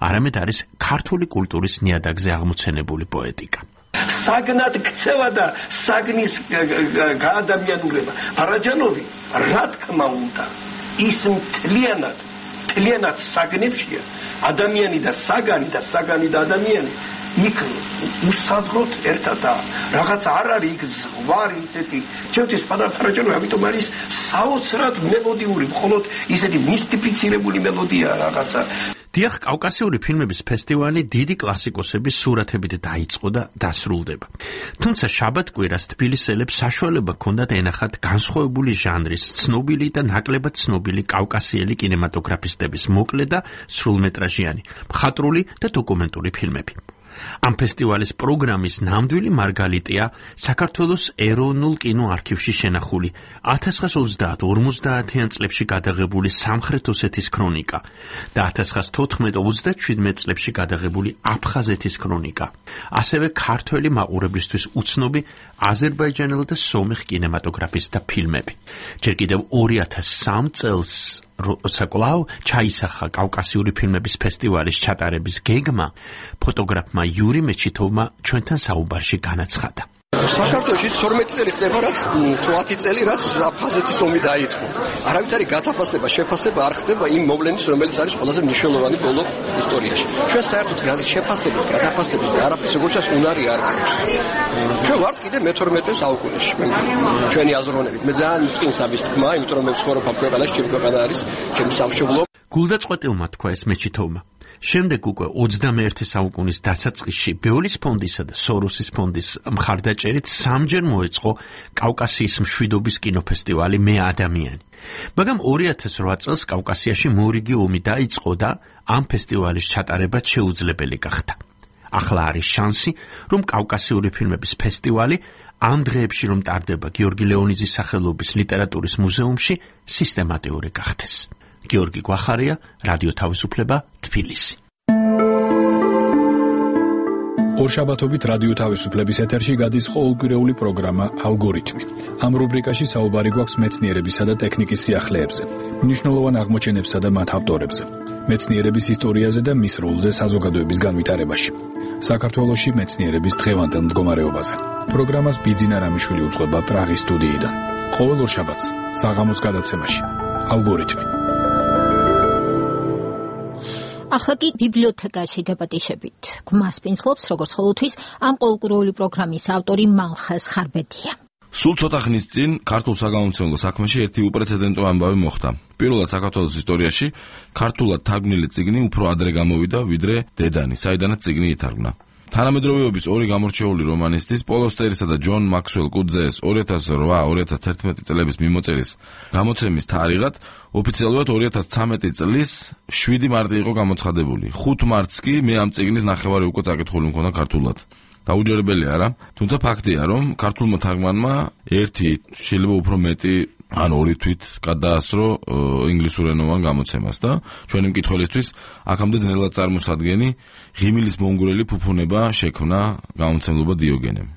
არამედ არის ქართული კულტურის ნიადაგზე აღმოცენებული პოეტიკა. საგნად ქცევა და საგნის გაადამიანურება. ფარაჯანოვი, რა თქმა უნდა, ის მთლიანად, მთლიანად საგნებშია, ადამიანი და საგანი და საგანი და ადამიანი იქ უსაზღროდ ერთადაა. რაღაც არ არის იქ ზღვარი ისეთი. ჩემთვის ფარაჯანოვი ამიტომ არის საოცრად მელოდიური, მხოლოდ ისეთი მისტიფიცირებული მელოდია რაღაცა. დიახ, კავკასიური ფილმების ფესტივალი დიდი კლასიკოსების სურათებით დაიწყო და დასრულდება. თუმცა შაბათ-კვირას თბილისელებს საშუალება ჰქონდათ ენახათ განსხვავებული ჟანრის, ცნობილი და ნაკლებად ცნობილი კავკასიელი კინემატოგრაფისტების მოკლე და სრულმეტრაჟიანი, მხატვრული და დოკუმენტური ფილმები. ამ ფესტივალის პროგრამის ნამდვილი მარგალიტია საქართველოს ეროვნულ კინოარქივში შენახული ათას ცხრაას ოცდაათ ორმოცდაათიან წლებში გადაღებული სამხრეთ ოსეთის ქრონიკა და ათას ცხრაას თოთხმეტ ოცდაშვიდმეტ წლებში გადაღებული აფხაზეთის ქრონიკა, ასევე ქართველი მაყურებლისთვის უცნობი აზერბაიჯანელ და სომეხ კინემატოგრაფისტთა ფილმები. ჯერ კიდევ ორი ათას სამ წელს როცა კვლავ ჩაისახა კავკასიური ფილმების ფესტივალის ჩატარების გეგმა, ფოტოგრაფმა იური მეჩითოვმა ჩვენთან საუბარში განაცხადა. საქართველოში ორმოცი წელი ხდება, რაც ათი წელი, რაც აფხაზეთის ომი დაიწყო. არავითარი გათაფასება, შეფასება არ ხდება იმ მოვლენის, რომელიც არის ყველაზე მნიშვნელოვანი ბოლო ისტორიაში. ჩვენ საერთოდ შეფასების, გათაფასების და არაფრის როგორცაც უნარი არ გვაქვს. ჩვენ ვართ კიდე მეთორმეტე საუკუნეში. ჩვენი აზროვნებით. მე ძალიან წყინსაბის თქმა, იმიტომ რომ მე ვცხოვრობ ამ ქვეყანაში, ჩემი ქვეყანა არის ჩემი სამშობლო. გულდაწყვეტილმა თქვა ეს მეჩითოვმა. შემდეგ უკვე ოცდამეერთე საუკუნის დასაწყისში ბეოლის ფონდისა და სოროსის ფონდის მხარდაჭერით სამჯერ მოეწყო კავკასიის მშვიდობის კინოფესტივალი მე ადამიანი. მაგრამ ორი ათას რვა წელს კავკასიაში მორიგი ომი დაიწყო და ამ ფესტივალის ჩატარება შეუძლებელი გახდა. ახლა არის შანსი, რომ კავკასიური ფილმების ფესტივალი ამ დღეებში რომ ტარდება გიორგი ლეონიძის სახელობის ლიტერატურის მუზეუმში სისტემატიური გახდეს. გიორგი გვახარია, რადიო თავისუფლება, თბილისი. ორშაბათობით რადიო თავისუფლების ეთერში გადის ყოველკვირეული პროგრამა ალგორითმი. ამ რუბრიკაში საუბარი გვაქვს მეცნიერებისა და ტექნიკის სიახლეებზე, მნიშვნელოვან აღმოჩენებსა და მათ ავტორებზე, მეცნიერების ისტორიაზე და მის როლზე საზოგადოების განვითარებაში. საქართველოში მეცნიერების დღევანდელ მდგომარეობაზე. პროგრამას ბიძინა რამიშვილი უძღვება პრაღის სტუდიიდან. ყოველ ორშაბათს საღამოს გადაცემაში ალგორითმი. ახლა კი ბიბლიოთეკაში დებატიშებით. გვმასპინძლობს როგორც ყოველთვის ამ ყოველკვირეული პროგრამის ავტორი მალხაზ ხარბედია. სულ ცოტა ხნის წინ ქართულ საგამომცემლო საქმეში ერთი უპრეცედენტო ამბავი მოხდა. პირველად საქართველოს ისტორიაში ქართულად თარგმნილი წიგნი უფრო ადრე გამოვიდა, ვიდრე დედანი, საიდანაც წიგნი ითარგმნა. თანამედროვეობის ორი გამორჩეული რომანისტის, პოლ ოსტერისა და ჯონ მაქსველ კუძეს ორი ათას რვა ორი ათას თერთმეტი წლების მიმოწერის გამოცემის თარიღად ოფიციალურად ორი ათას ცხრამეტი წლის შვიდი მარტი იყო გამოცხადებული. ხუთ მარტს კი მე ამ წიგნის ნახევარი უკვე წაკითხული მქონდა ქართულად. დაუჯერებელი არა, თუმცა ფაქტია, რომ ქართულმა თარგმანმა ერთი, შეიძლება უფრო მეტი ან ორი თვით გადაასრო ინგლისურენოვან გამოცემას და ჩვენი მკითხველისთვის აქამდე ძნელად წარმოსადგენი ღიმილის მონგრელი ფუფუნება შექმნა გამომცემლობა დიოგენემ.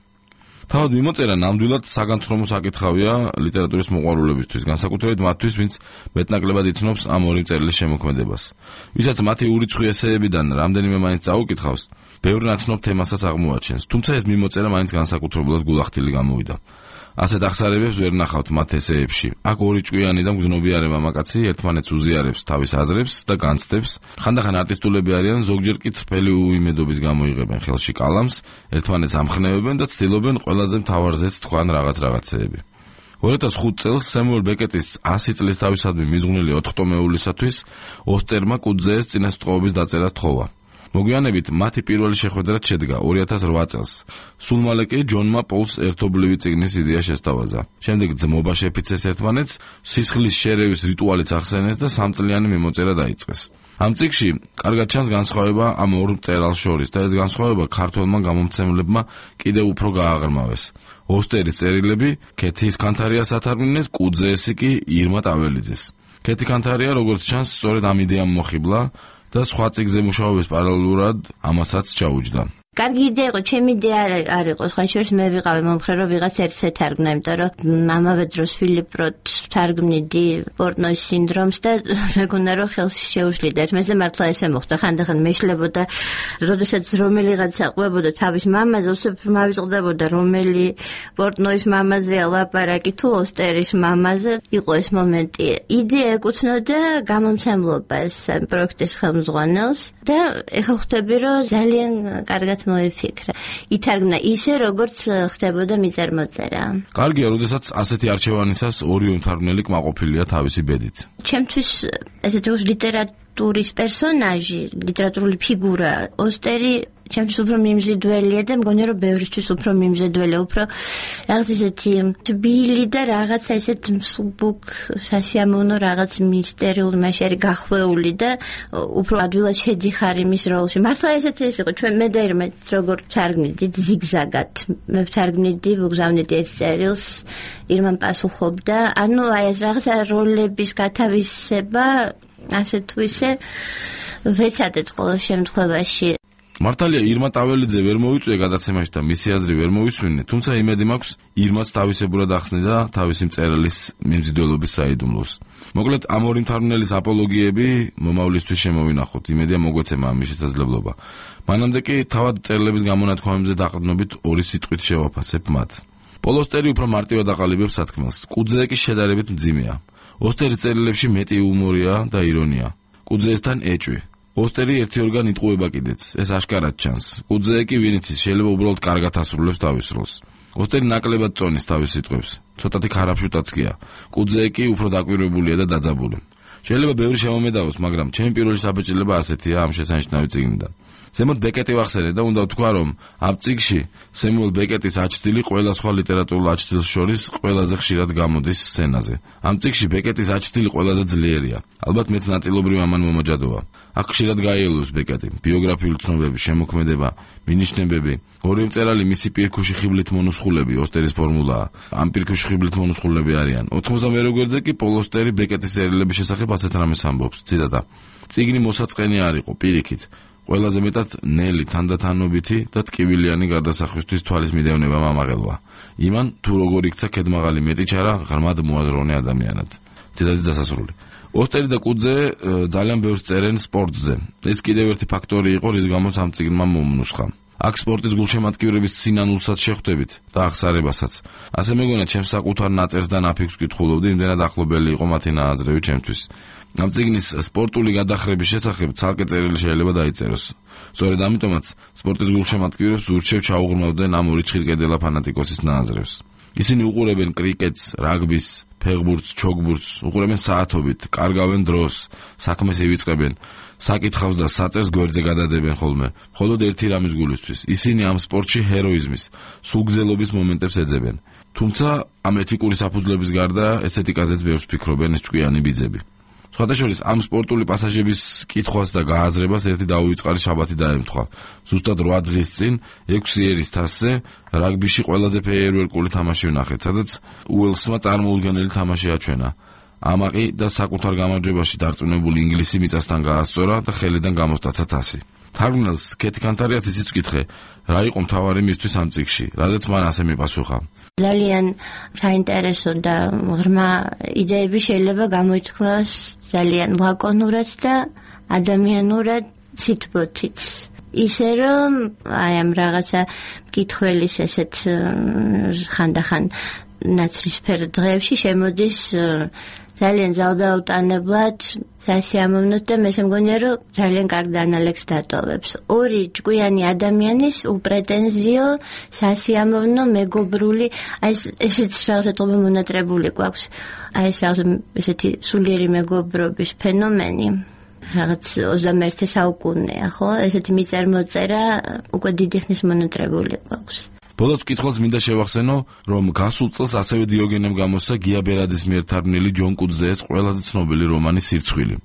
თავად მიმოწერა ნამდვილად საგანცხრომო საკითხავია ლიტერატურის მოყვარულებისთვის, განსაკუთრებით მათთვის, ვინც მეტნაკლებად იცნობს ამ ორი მწერლის შემოქმედებას. ვისაც მათი ურიცხვი ესეებიდან რამდენიმე მაინც წაუკითხავს, ბევრ ნაცნობ თემასაც აღმოაჩენს, თუმცა ეს მიმოწერა მაინც განსაკუთრებულად გულახდილი გამოვიდა. ასეთ აღსარებებს ვერ ნახავთ მათ ესეებში. აქ ორი ჭკვიანი და მგზნობიარე მამაკაცი ერთმანეთს უზიარებს თავის აზრებს და განცდებს. ხანდახან არტისტულები არიან, ზოგჯერ კი წრფელი უიმედობის გამო იღებენ ხელში კალამს, ერთმანეთს ამხნევებენ და ცდილობენ ყველაზე მთავარზეც თქვან რაღაც რაღაცეები. ორი ათას ხუთ წელს სემუელ ბეკეტის ასი წლის თავისადმი მიძღვნილი ოთხტომეულისათვის ოსტერმა კუძეეს წინასწრაფობის დაწერა სთხოვა. მოგვიანებით მათი პირველი შეხვედრა შედგა ორი ათას რვა წელს. სულ მალე კი ჯონმა პოლს ერთობლივი წიგნის იდეა შესთავაზა. შემდეგ ძმობა შეფიცეს ერთმანეთს, სისხლის შერევის რიტუალიც ახსენეს და სამწლიანი მიმოწერა დაიწყეს. ამ წიგნში კარგად ჩანს განსხვავება ამ ორ მწერალს შორის და ეს განსხვავება ქართველმა გამომცემლებმა კიდევ უფრო გააღრმავეს. ოსტერის წერილები ქეთის კანთარიას ათარგმნეს, კუძეესი კი ირმა ტაველიძეს. ქეთი კანთარია, როგორც ჩანს, სწორედ ამ იდეამ მოხიბლა და სხვა წიგნზე მუშაობის პარალელურად ამასაც ჩაუჯდა. კარგი იდეა იყო, ჩემი იდეა არ იყო, სხვა შორის მე ვიყავი მომხრე, რომ ვიღაც ერთს ეთარგმნა, იმიტომ რომ ამავე დროს ფილიპ როთ თარგმნიდი პორტნოის სინდრომს და მეგონა რომ ხელს შეუშლიდა. მეზე მართლა ესე მოხდა, ხანდახან მეშლებოდა, როდესაც რომელიღაცა ყვებოდა თავის მამაზე, უსებ მავიწყდებოდა რომელი პორტნოის მამაზეა ლაპარაკი თუ ოსტერის მამაზე. იყო ეს მომენტი. იდეა ეკუთვნოდა გამომცემლობას, პროექტის ხელმძღვანელს და ეხლა ხვდები, რომ ძალიან კარგად მოიფიქრა. ითარგმნა ისე, როგორც ხდებოდა მიწარმოწერა. კარგია, როდესაც ასეთი არჩევანისას ორი უმთარგმნელი კმაყოფილია თავისი ბედით. ჩემთვის ესეთი ლიტერატურის პერსონაჟი, ლიტერატურული ფიგურა, ოსტერი ჩემთვის უფრო მიმზიდველია და მგონია რომ ბევრისთვის უფრო მიმზიდველია, უფრო რაღაც ისეთი თბილი და რაღაცა ისეთ მსუბუქ სასიამოვნო რაღაც მისტერიულ მასერი გახვეული და უფრო ადვილად შედიხარ იმის როლში. მართლა ესეთი ის იყო, ჩვენ მე და ირმა როგორ თარგმნიდით ზიგზაგად. მე ვთარგმნიდი, ვგზავნიდი ერთ წერილს, ირმამ პასუხობდა. ანუ აი ეს რაღაცა როლების გათავისება ასე თუ ისე ვეცადეთ ყოველ შემთხვევაში. მართალია ირმა ტაველიძე ვერ მოიწვია გადაცემაში და მისი აზრი ვერ მოვისმინე, თუმცა იმედი მაქვს ირმას თავისებურად ახსნიდა თავისი მწერლის მიმზიდველობის საიდუმლოს. მოკლედ ამ ორი მთარგმნელის აპოლოგიები მომავლისთვის შემოვინახოთ, იმედია მოგვეცემა ამის შესაძლებლობა. მანამდე კი თავად მწერლების გამონათქვამებზე დაყრდნობით ორი სიტყვით შევაფასებ მათ. პოლ ოსტერი უფრო მარტივად აყალიბებს სათქმელს, კუძე კი შედარებით მძიმეა. ოსტერის წერილებში მეტი იუმორია და ირონია. კუძეესთან ეჭვი. ოსტერი ერთი ორგან იტყუება კიდეც, ეს აშკარად ჩანს. კუძე კი ვინ იცის, შეიძლება უბრალოდ კარგად ასრულებს თავის როლს. ოსტერი ნაკლებად წონის თავის სიტყვებს, ცოტათი ქარაფშუტაც კია. კუძე კი უფრო დაკვირვებულია და დაძაბული. შეიძლება ბევრი შემომედავოს, მაგრამ ჩემი პირველი საბეჭდილება ასეთია ამ შესანიშნავი წიგნიდან. ზემოთ ბეკეტი ვახსენე და უნდა ვთქვა, რომ ამ წიგნში სემუელ ბეკეტის აჩრდილი ყველა სხვა ლიტერატურულ აჩრდილს შორის ყველაზე ხშირად გამოდის სცენაზე. ამ წიგნში ბეკეტის აჩრდილი ყველაზე ძლიერია. ალბათ მეც ნაწილობრივ ამან მომაჯადოა. აქ ხშირად გაიელოს ბეკეტი, ბიოგრაფიული ცნობები, შემოქმედება, მინიშნებები. ორივე მწერალი მისი პირქუში ხიბლით მონუსხულები, ოსტერის ფორმულაა. ამ პირქუში ხიბლით მონუსხულები არიან. ოთხმოცდამეერთე გვერდზე კი პოლ ოსტერი ბეკეტის სერიალების შესახებ ასეთ რამეს ამბობს. ციტატა: წიგნი მოსაწყენი არ იყო, პირიქით. ყველაზე მეტად ნელი, თანდათანობითი და ტკივილიანი გარდასახვისთვის თვალის მიდევნება მომაღელვა. იმან თუ როგორ იქცა ქედმაღალი მეტი ჩარა ღრმად მოაზროვნე ადამიანად. ციტატის დასასრული. ოსტერი და კუძე ძალიან ბევრს წერენ სპორტზე. ეს კიდევ ერთი ფაქტორი იყო, რის გამოც ამ წიგნმა მომნუსხა. აქ სპორტის გულშემატკივრების სინანულსაც შეხვდებით და აღსარებასაც. ასე მეგონა ჩემს საკუთარ ნაწერს და ნაფიქს ვკითხულობდი, იმდენად ახლობელი იყო მათი ნააზრევი ჩემთვის. ამ წიგნის სპორტული გადახრების შესახებ ცალკე წერილი შეიძლება დაიწეროს. სწორედ ამიტომაც სპორტის გულშემატკივრებს ურჩევ ჩაუღრმავდნენ ამ ორი ჭირკედელა ფანატიკოსის ნააზრევს. ისინი უყურებენ კრიკეტს, რაგბის, ფეხბურთს, ჩოგბურთს, უყურებენ საათობით, კარგავენ დროს, საქმეს ივიწყებენ, საკითხავს და საწერს გვერდზე გადადებენ ხოლმე. მხოლოდ ერთი რამის გულისთვის, ისინი ამ სპორტში ჰეროიზმის, სულგზელობის მომენტებს ეძებენ. თუმცა ამ ეთიკური საფუძვლების გარდა ესეთიკაზეც ბევრს ფიქრობენ ეს ჭკვიანი ბიძები. სხვადასხვა ამ სპორტული პასაჟების კითხვას და გააზრებას ერთი დაუვიწყარი შაბათი დაემთხვა. ზუსტად რვა დღის წინ ექვსი ერის თასზე რაგბიში ყველაზე ფეიერვერკული თამაში ვნახეთ, სადაც უელსმა წარმოუდგენელი თამაში აჩვენა. ამაყი და საკუთარ გამარჯვებაში დარწმუნებული ინგლისი მიწასთან გაასწორა და ხელიდან გამოსტაცა თასი. თარგმნელს კეთი კანტარიას ისიც ვკითხე, რა იყო მთავარი მისთვის ამ წიგნში, რადგან მან ასე მიპასუხა. ძალიან საინტერესო და ღრმა იდეები შეიძლება გამოითქვას ძალიან ლაკონურად და ადამიანურად ციტბოთიც. ისე რომ აი ამ რაღაცა მკითხველის ესეთ ხანდახან ნაცრისფერ დღეებში შემოდის ძალიან ძალდაუტანებლად სასიამოვნოთ და მე შემგონია რომ ძალიან კარგ დანალექს დატოვებს. ორი ჭკვიანი ადამიანის უპრეტენზიო, სასიამოვნო, მეგობრული, აი ესეც რაღაცა მონატრებული გვაქვს. აი ეს რაღაცა ესეთი სულიერი მეგობრობის ფენომენი. რაღაც ოცდამეერთე საუკუნეა, ხო? ესეთი მიწერ-მოწერა უკვე დიდი ხნის მონატრებული გვაქვს. ბოლოს კითხავს მინდა შევახსენო, რომ გასულ წელს ასევე დიოგენემ გამოსცა გია ბერადის მიერ თარგმნილი ჯონ კუძეს ყველაზე ცნობილი რომანი სირცხვილი.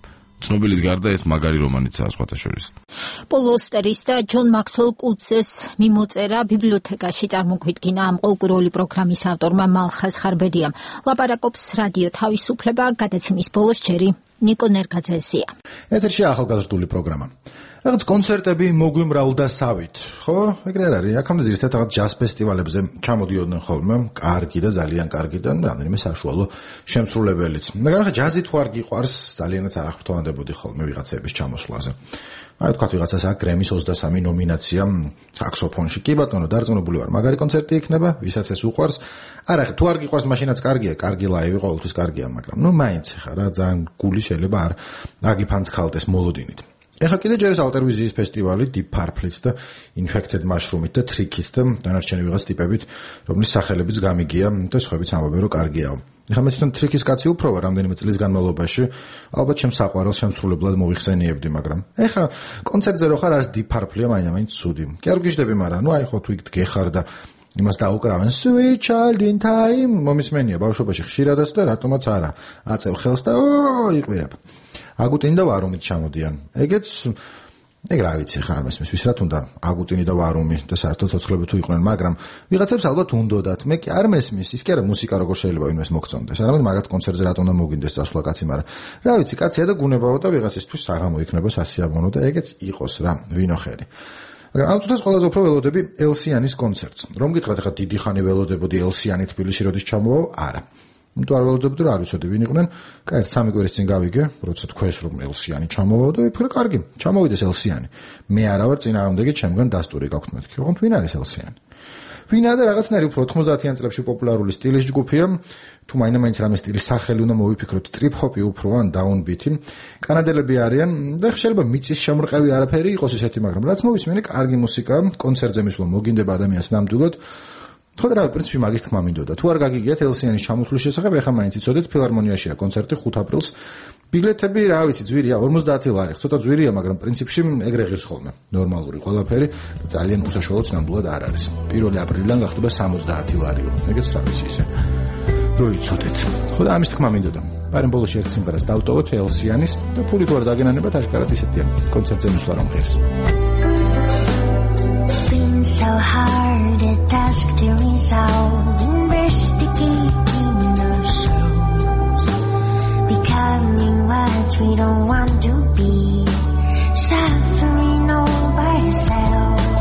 ცნობილის გარდა ეს მაგარი რომანიცაა სხვათა შორის. პოლ ოსტერის და ჯონ მაქსველ კუძეს მიმოწერა ბიბლიოთეკაში წარმოგვიდგინა ამ ყოველკვირეული პროგრამის ავტორმა მალხაზ ხარბედიამ. ლაპარაკობს რადიო თავისუფლება, გადაცემის ბოლოს ჯერი ნიკო ნერგაძეზია. ეთერში ახალგაზრდული პროგრამა. რაღაც კონცერტები მოგვიმრავლდა სავით, ხო? ეგრე არ არის. აქამდე ზუსტად რაღაც ჯაზ ფესტივალებზე ჩამოდიოდნენ ხოლმე, კარგი და ძალიან კარგი და რამდენიმე საშუალო შემსრულებელიც. მაგრამ ხა ჯაზი თუ არ გიყვარს, ძალიანაც არ აღფრთოვანდებოდი ხოლმე ვიღაცების ჩამოსვლაზე. აი თქვა ვიღაცას აქ გრემის ოცდასამი ნომინაცია საქსოფონში. კი ბატონო, დარწმუნებული ვარ, მაგარი კონცერტი იქნება, ვისაც ეს უყვარს. არა, თუ არ გიყვარს, მაშინაც კარგია, კარგი ლაივი ყოველთვის კარგია, მაგრამ ნუ მაინც ხა რა ძალიან გული შეიძლება არ აგიფანცქალდეს მოლოდინით. ეხა კიდე ჯერ ეს ალტერვიზიის ფესტივალი Deep Purple-ით და Infected Mushroom-ით და Trick-ით და დანარჩენი ვიღაც ტიპებით, რომლის სახელებიც გამიგია და სხვაებიც ამბობენ, რომ კარგიაო. ეხა მე თვითონ Trick-ის კაცი უფრო ვარ რამდენიმე წლის განმავლობაში, ალბათ ჩემს საყვარელს შემსრულებლად მოიხსენიებდი, მაგრამ ეხა კონცერტზე რო ხარ, არის Deep Purple-ია მაინც ცუდი. კი არ გიждები, მაგრამ ნუ აი ხო თუ იქ გეხარ და იმას დაუკრავენ Sweet Child in Time, მომისმენია ბავშვობაში ხშირადაც და რატომაც არა. აწევ ხელს და ო იყვირებ. აგუტინი და ვარუმით ჩამოდიან. ეგეც ეგ რა ვიცი ხარ მესმის ვის რა თუნდა აგუტინი და ვარუმი და საერთოდ ცოცხლები თუ იყვნენ, მაგრამ ვიღაცებს ალბათ უნდოდათ. მე კი არ მესმის, ის კი არა მუსიკა როგორ შეიძლება ვინმეს მოგწონდეს. არამედ მაგათ კონცერტზე რატომ უნდა მოგინდეს წასვლა კაცი, მაგრამ რა ვიცი, კაცია და გუნებაო და ვიღაცისთვის საღამო იქნება სასიამოვნო და ეგეც იყოს რა, ვინოხერი. მაგრამ ამ წუთას ყველაზე უფრო ველოდები ელსიანის კონცერტს. რომ გითხრათ ახლა დიდი ხანი ველოდებოდი ელსიანი თბილისში როდის ჩამოვაო? არა. იმიტომ არ ველოდებოდი, რომ არ ვიცოდი ვინ იყვნენ. კაი, ერთ სამი კვირის წინ გავიგე, როცა თქვეს რომ ელსიანი ჩამოვაო და ვიფიქრე, კარგი, ჩამოვიდეს ელსიანი. მე არა ვარ წინააღმდეგი, ჩემგან დასტური გაქვთ მეთქი. ოღონდ ვინ არის ელსიანი? ვინაა და რაღაცნაირი უფრო ოთხმოცდაათიან წლებში პოპულარული სტილის ჯგუფია. თუ მაინც რამე სტილის სახელი უნდა მოვიფიქროთ, ტრიპ-ჰოპი უფრო ან დაუნბიტი. კანადელები არიან და შეიძლება მიწის შემრყევი არაფერი იყოს ისეთი, მაგრამ რაც მოვისმენე, კარგი მუსიკა, კონცერტზე მისვლა მოგინდება ადამიანს ნამდვილად. ხო და რა პრინციპი მაგის თქმა მინდოდა. თუ არ გაგიგიათ ელსიანის ჩამოსვლის შესახებ, ახლა მაინც იცოდეთ, ფილარმონიაშია კონცერტი ხუთ აპრილს. ბილეთები, რა ვიცი, ძვირია, ორმოცდაათი ლარი, ცოტა ძვირია, მაგრამ პრინციპში ეგრე ღირს ხოლმე. ნორმალური ყველაფერი და ძალიან უსაშუალოდ ნამდვილად არ არის. პირველი აპრილიდან გახდება სამოცდაათი ლარიო. ეგეც რა ვიცი ისე. რო იცოდეთ. ხო და ამის თქმა მინდოდა. მაგრამ ბოლოს ერთ სიმღერას დავტოვოთ ელსიანის და ფული თუ არ დაგენანებათ, აშკარად ისეთია. კონცერტზე მისვლა რომ ღირს. So hard a task to resolve, investigating ourselves, becoming what we don't want to be, suffering all by ourselves.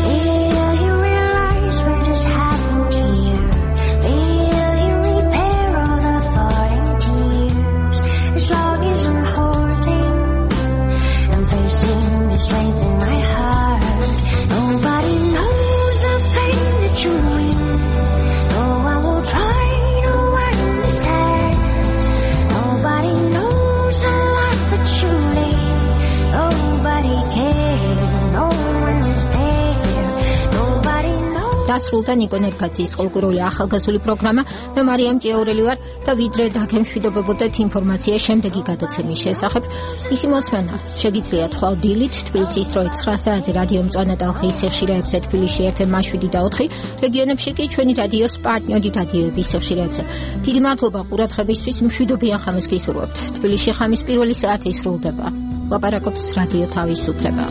Will you realize what has happened here? Will you repair all the falling tears? As long as I'm holding and facing the strength in my heart. Nobody knows the pain that you mean. No one will try to understand. Nobody knows the life that you live. Nobody cares. No one is there. Nobody knows. დასრულდა ნიკო ნერგაძის ყოლკურული ახალგაზრდული პროგრამა. მე მარიამ ჭიაურელი ვარ და ვიდრე დაგემშვიდობებოდეთ ინფორმაცია შემდეგი გადაცემის შესახებ. ისი მოსმენა შეგიძლიათ ხვალ დილით თბილისის დროით ცხრა საათზე რადიო მწვანე ტალღის სიხშირეებზე თბილისში ეფ ემ შვიდი და ოთხი, რეგიონებში კი ჩვენი რადიოს პარტნიორი რადიოების სიხშირეებზე. დიდი მადლობა ყურადღებისთვის, მშვიდობიან ხამს გისურვებთ. თბილისში ხამის პირველი საათი სრულდება. ლაპარაკობს რადიო თავისუფლება.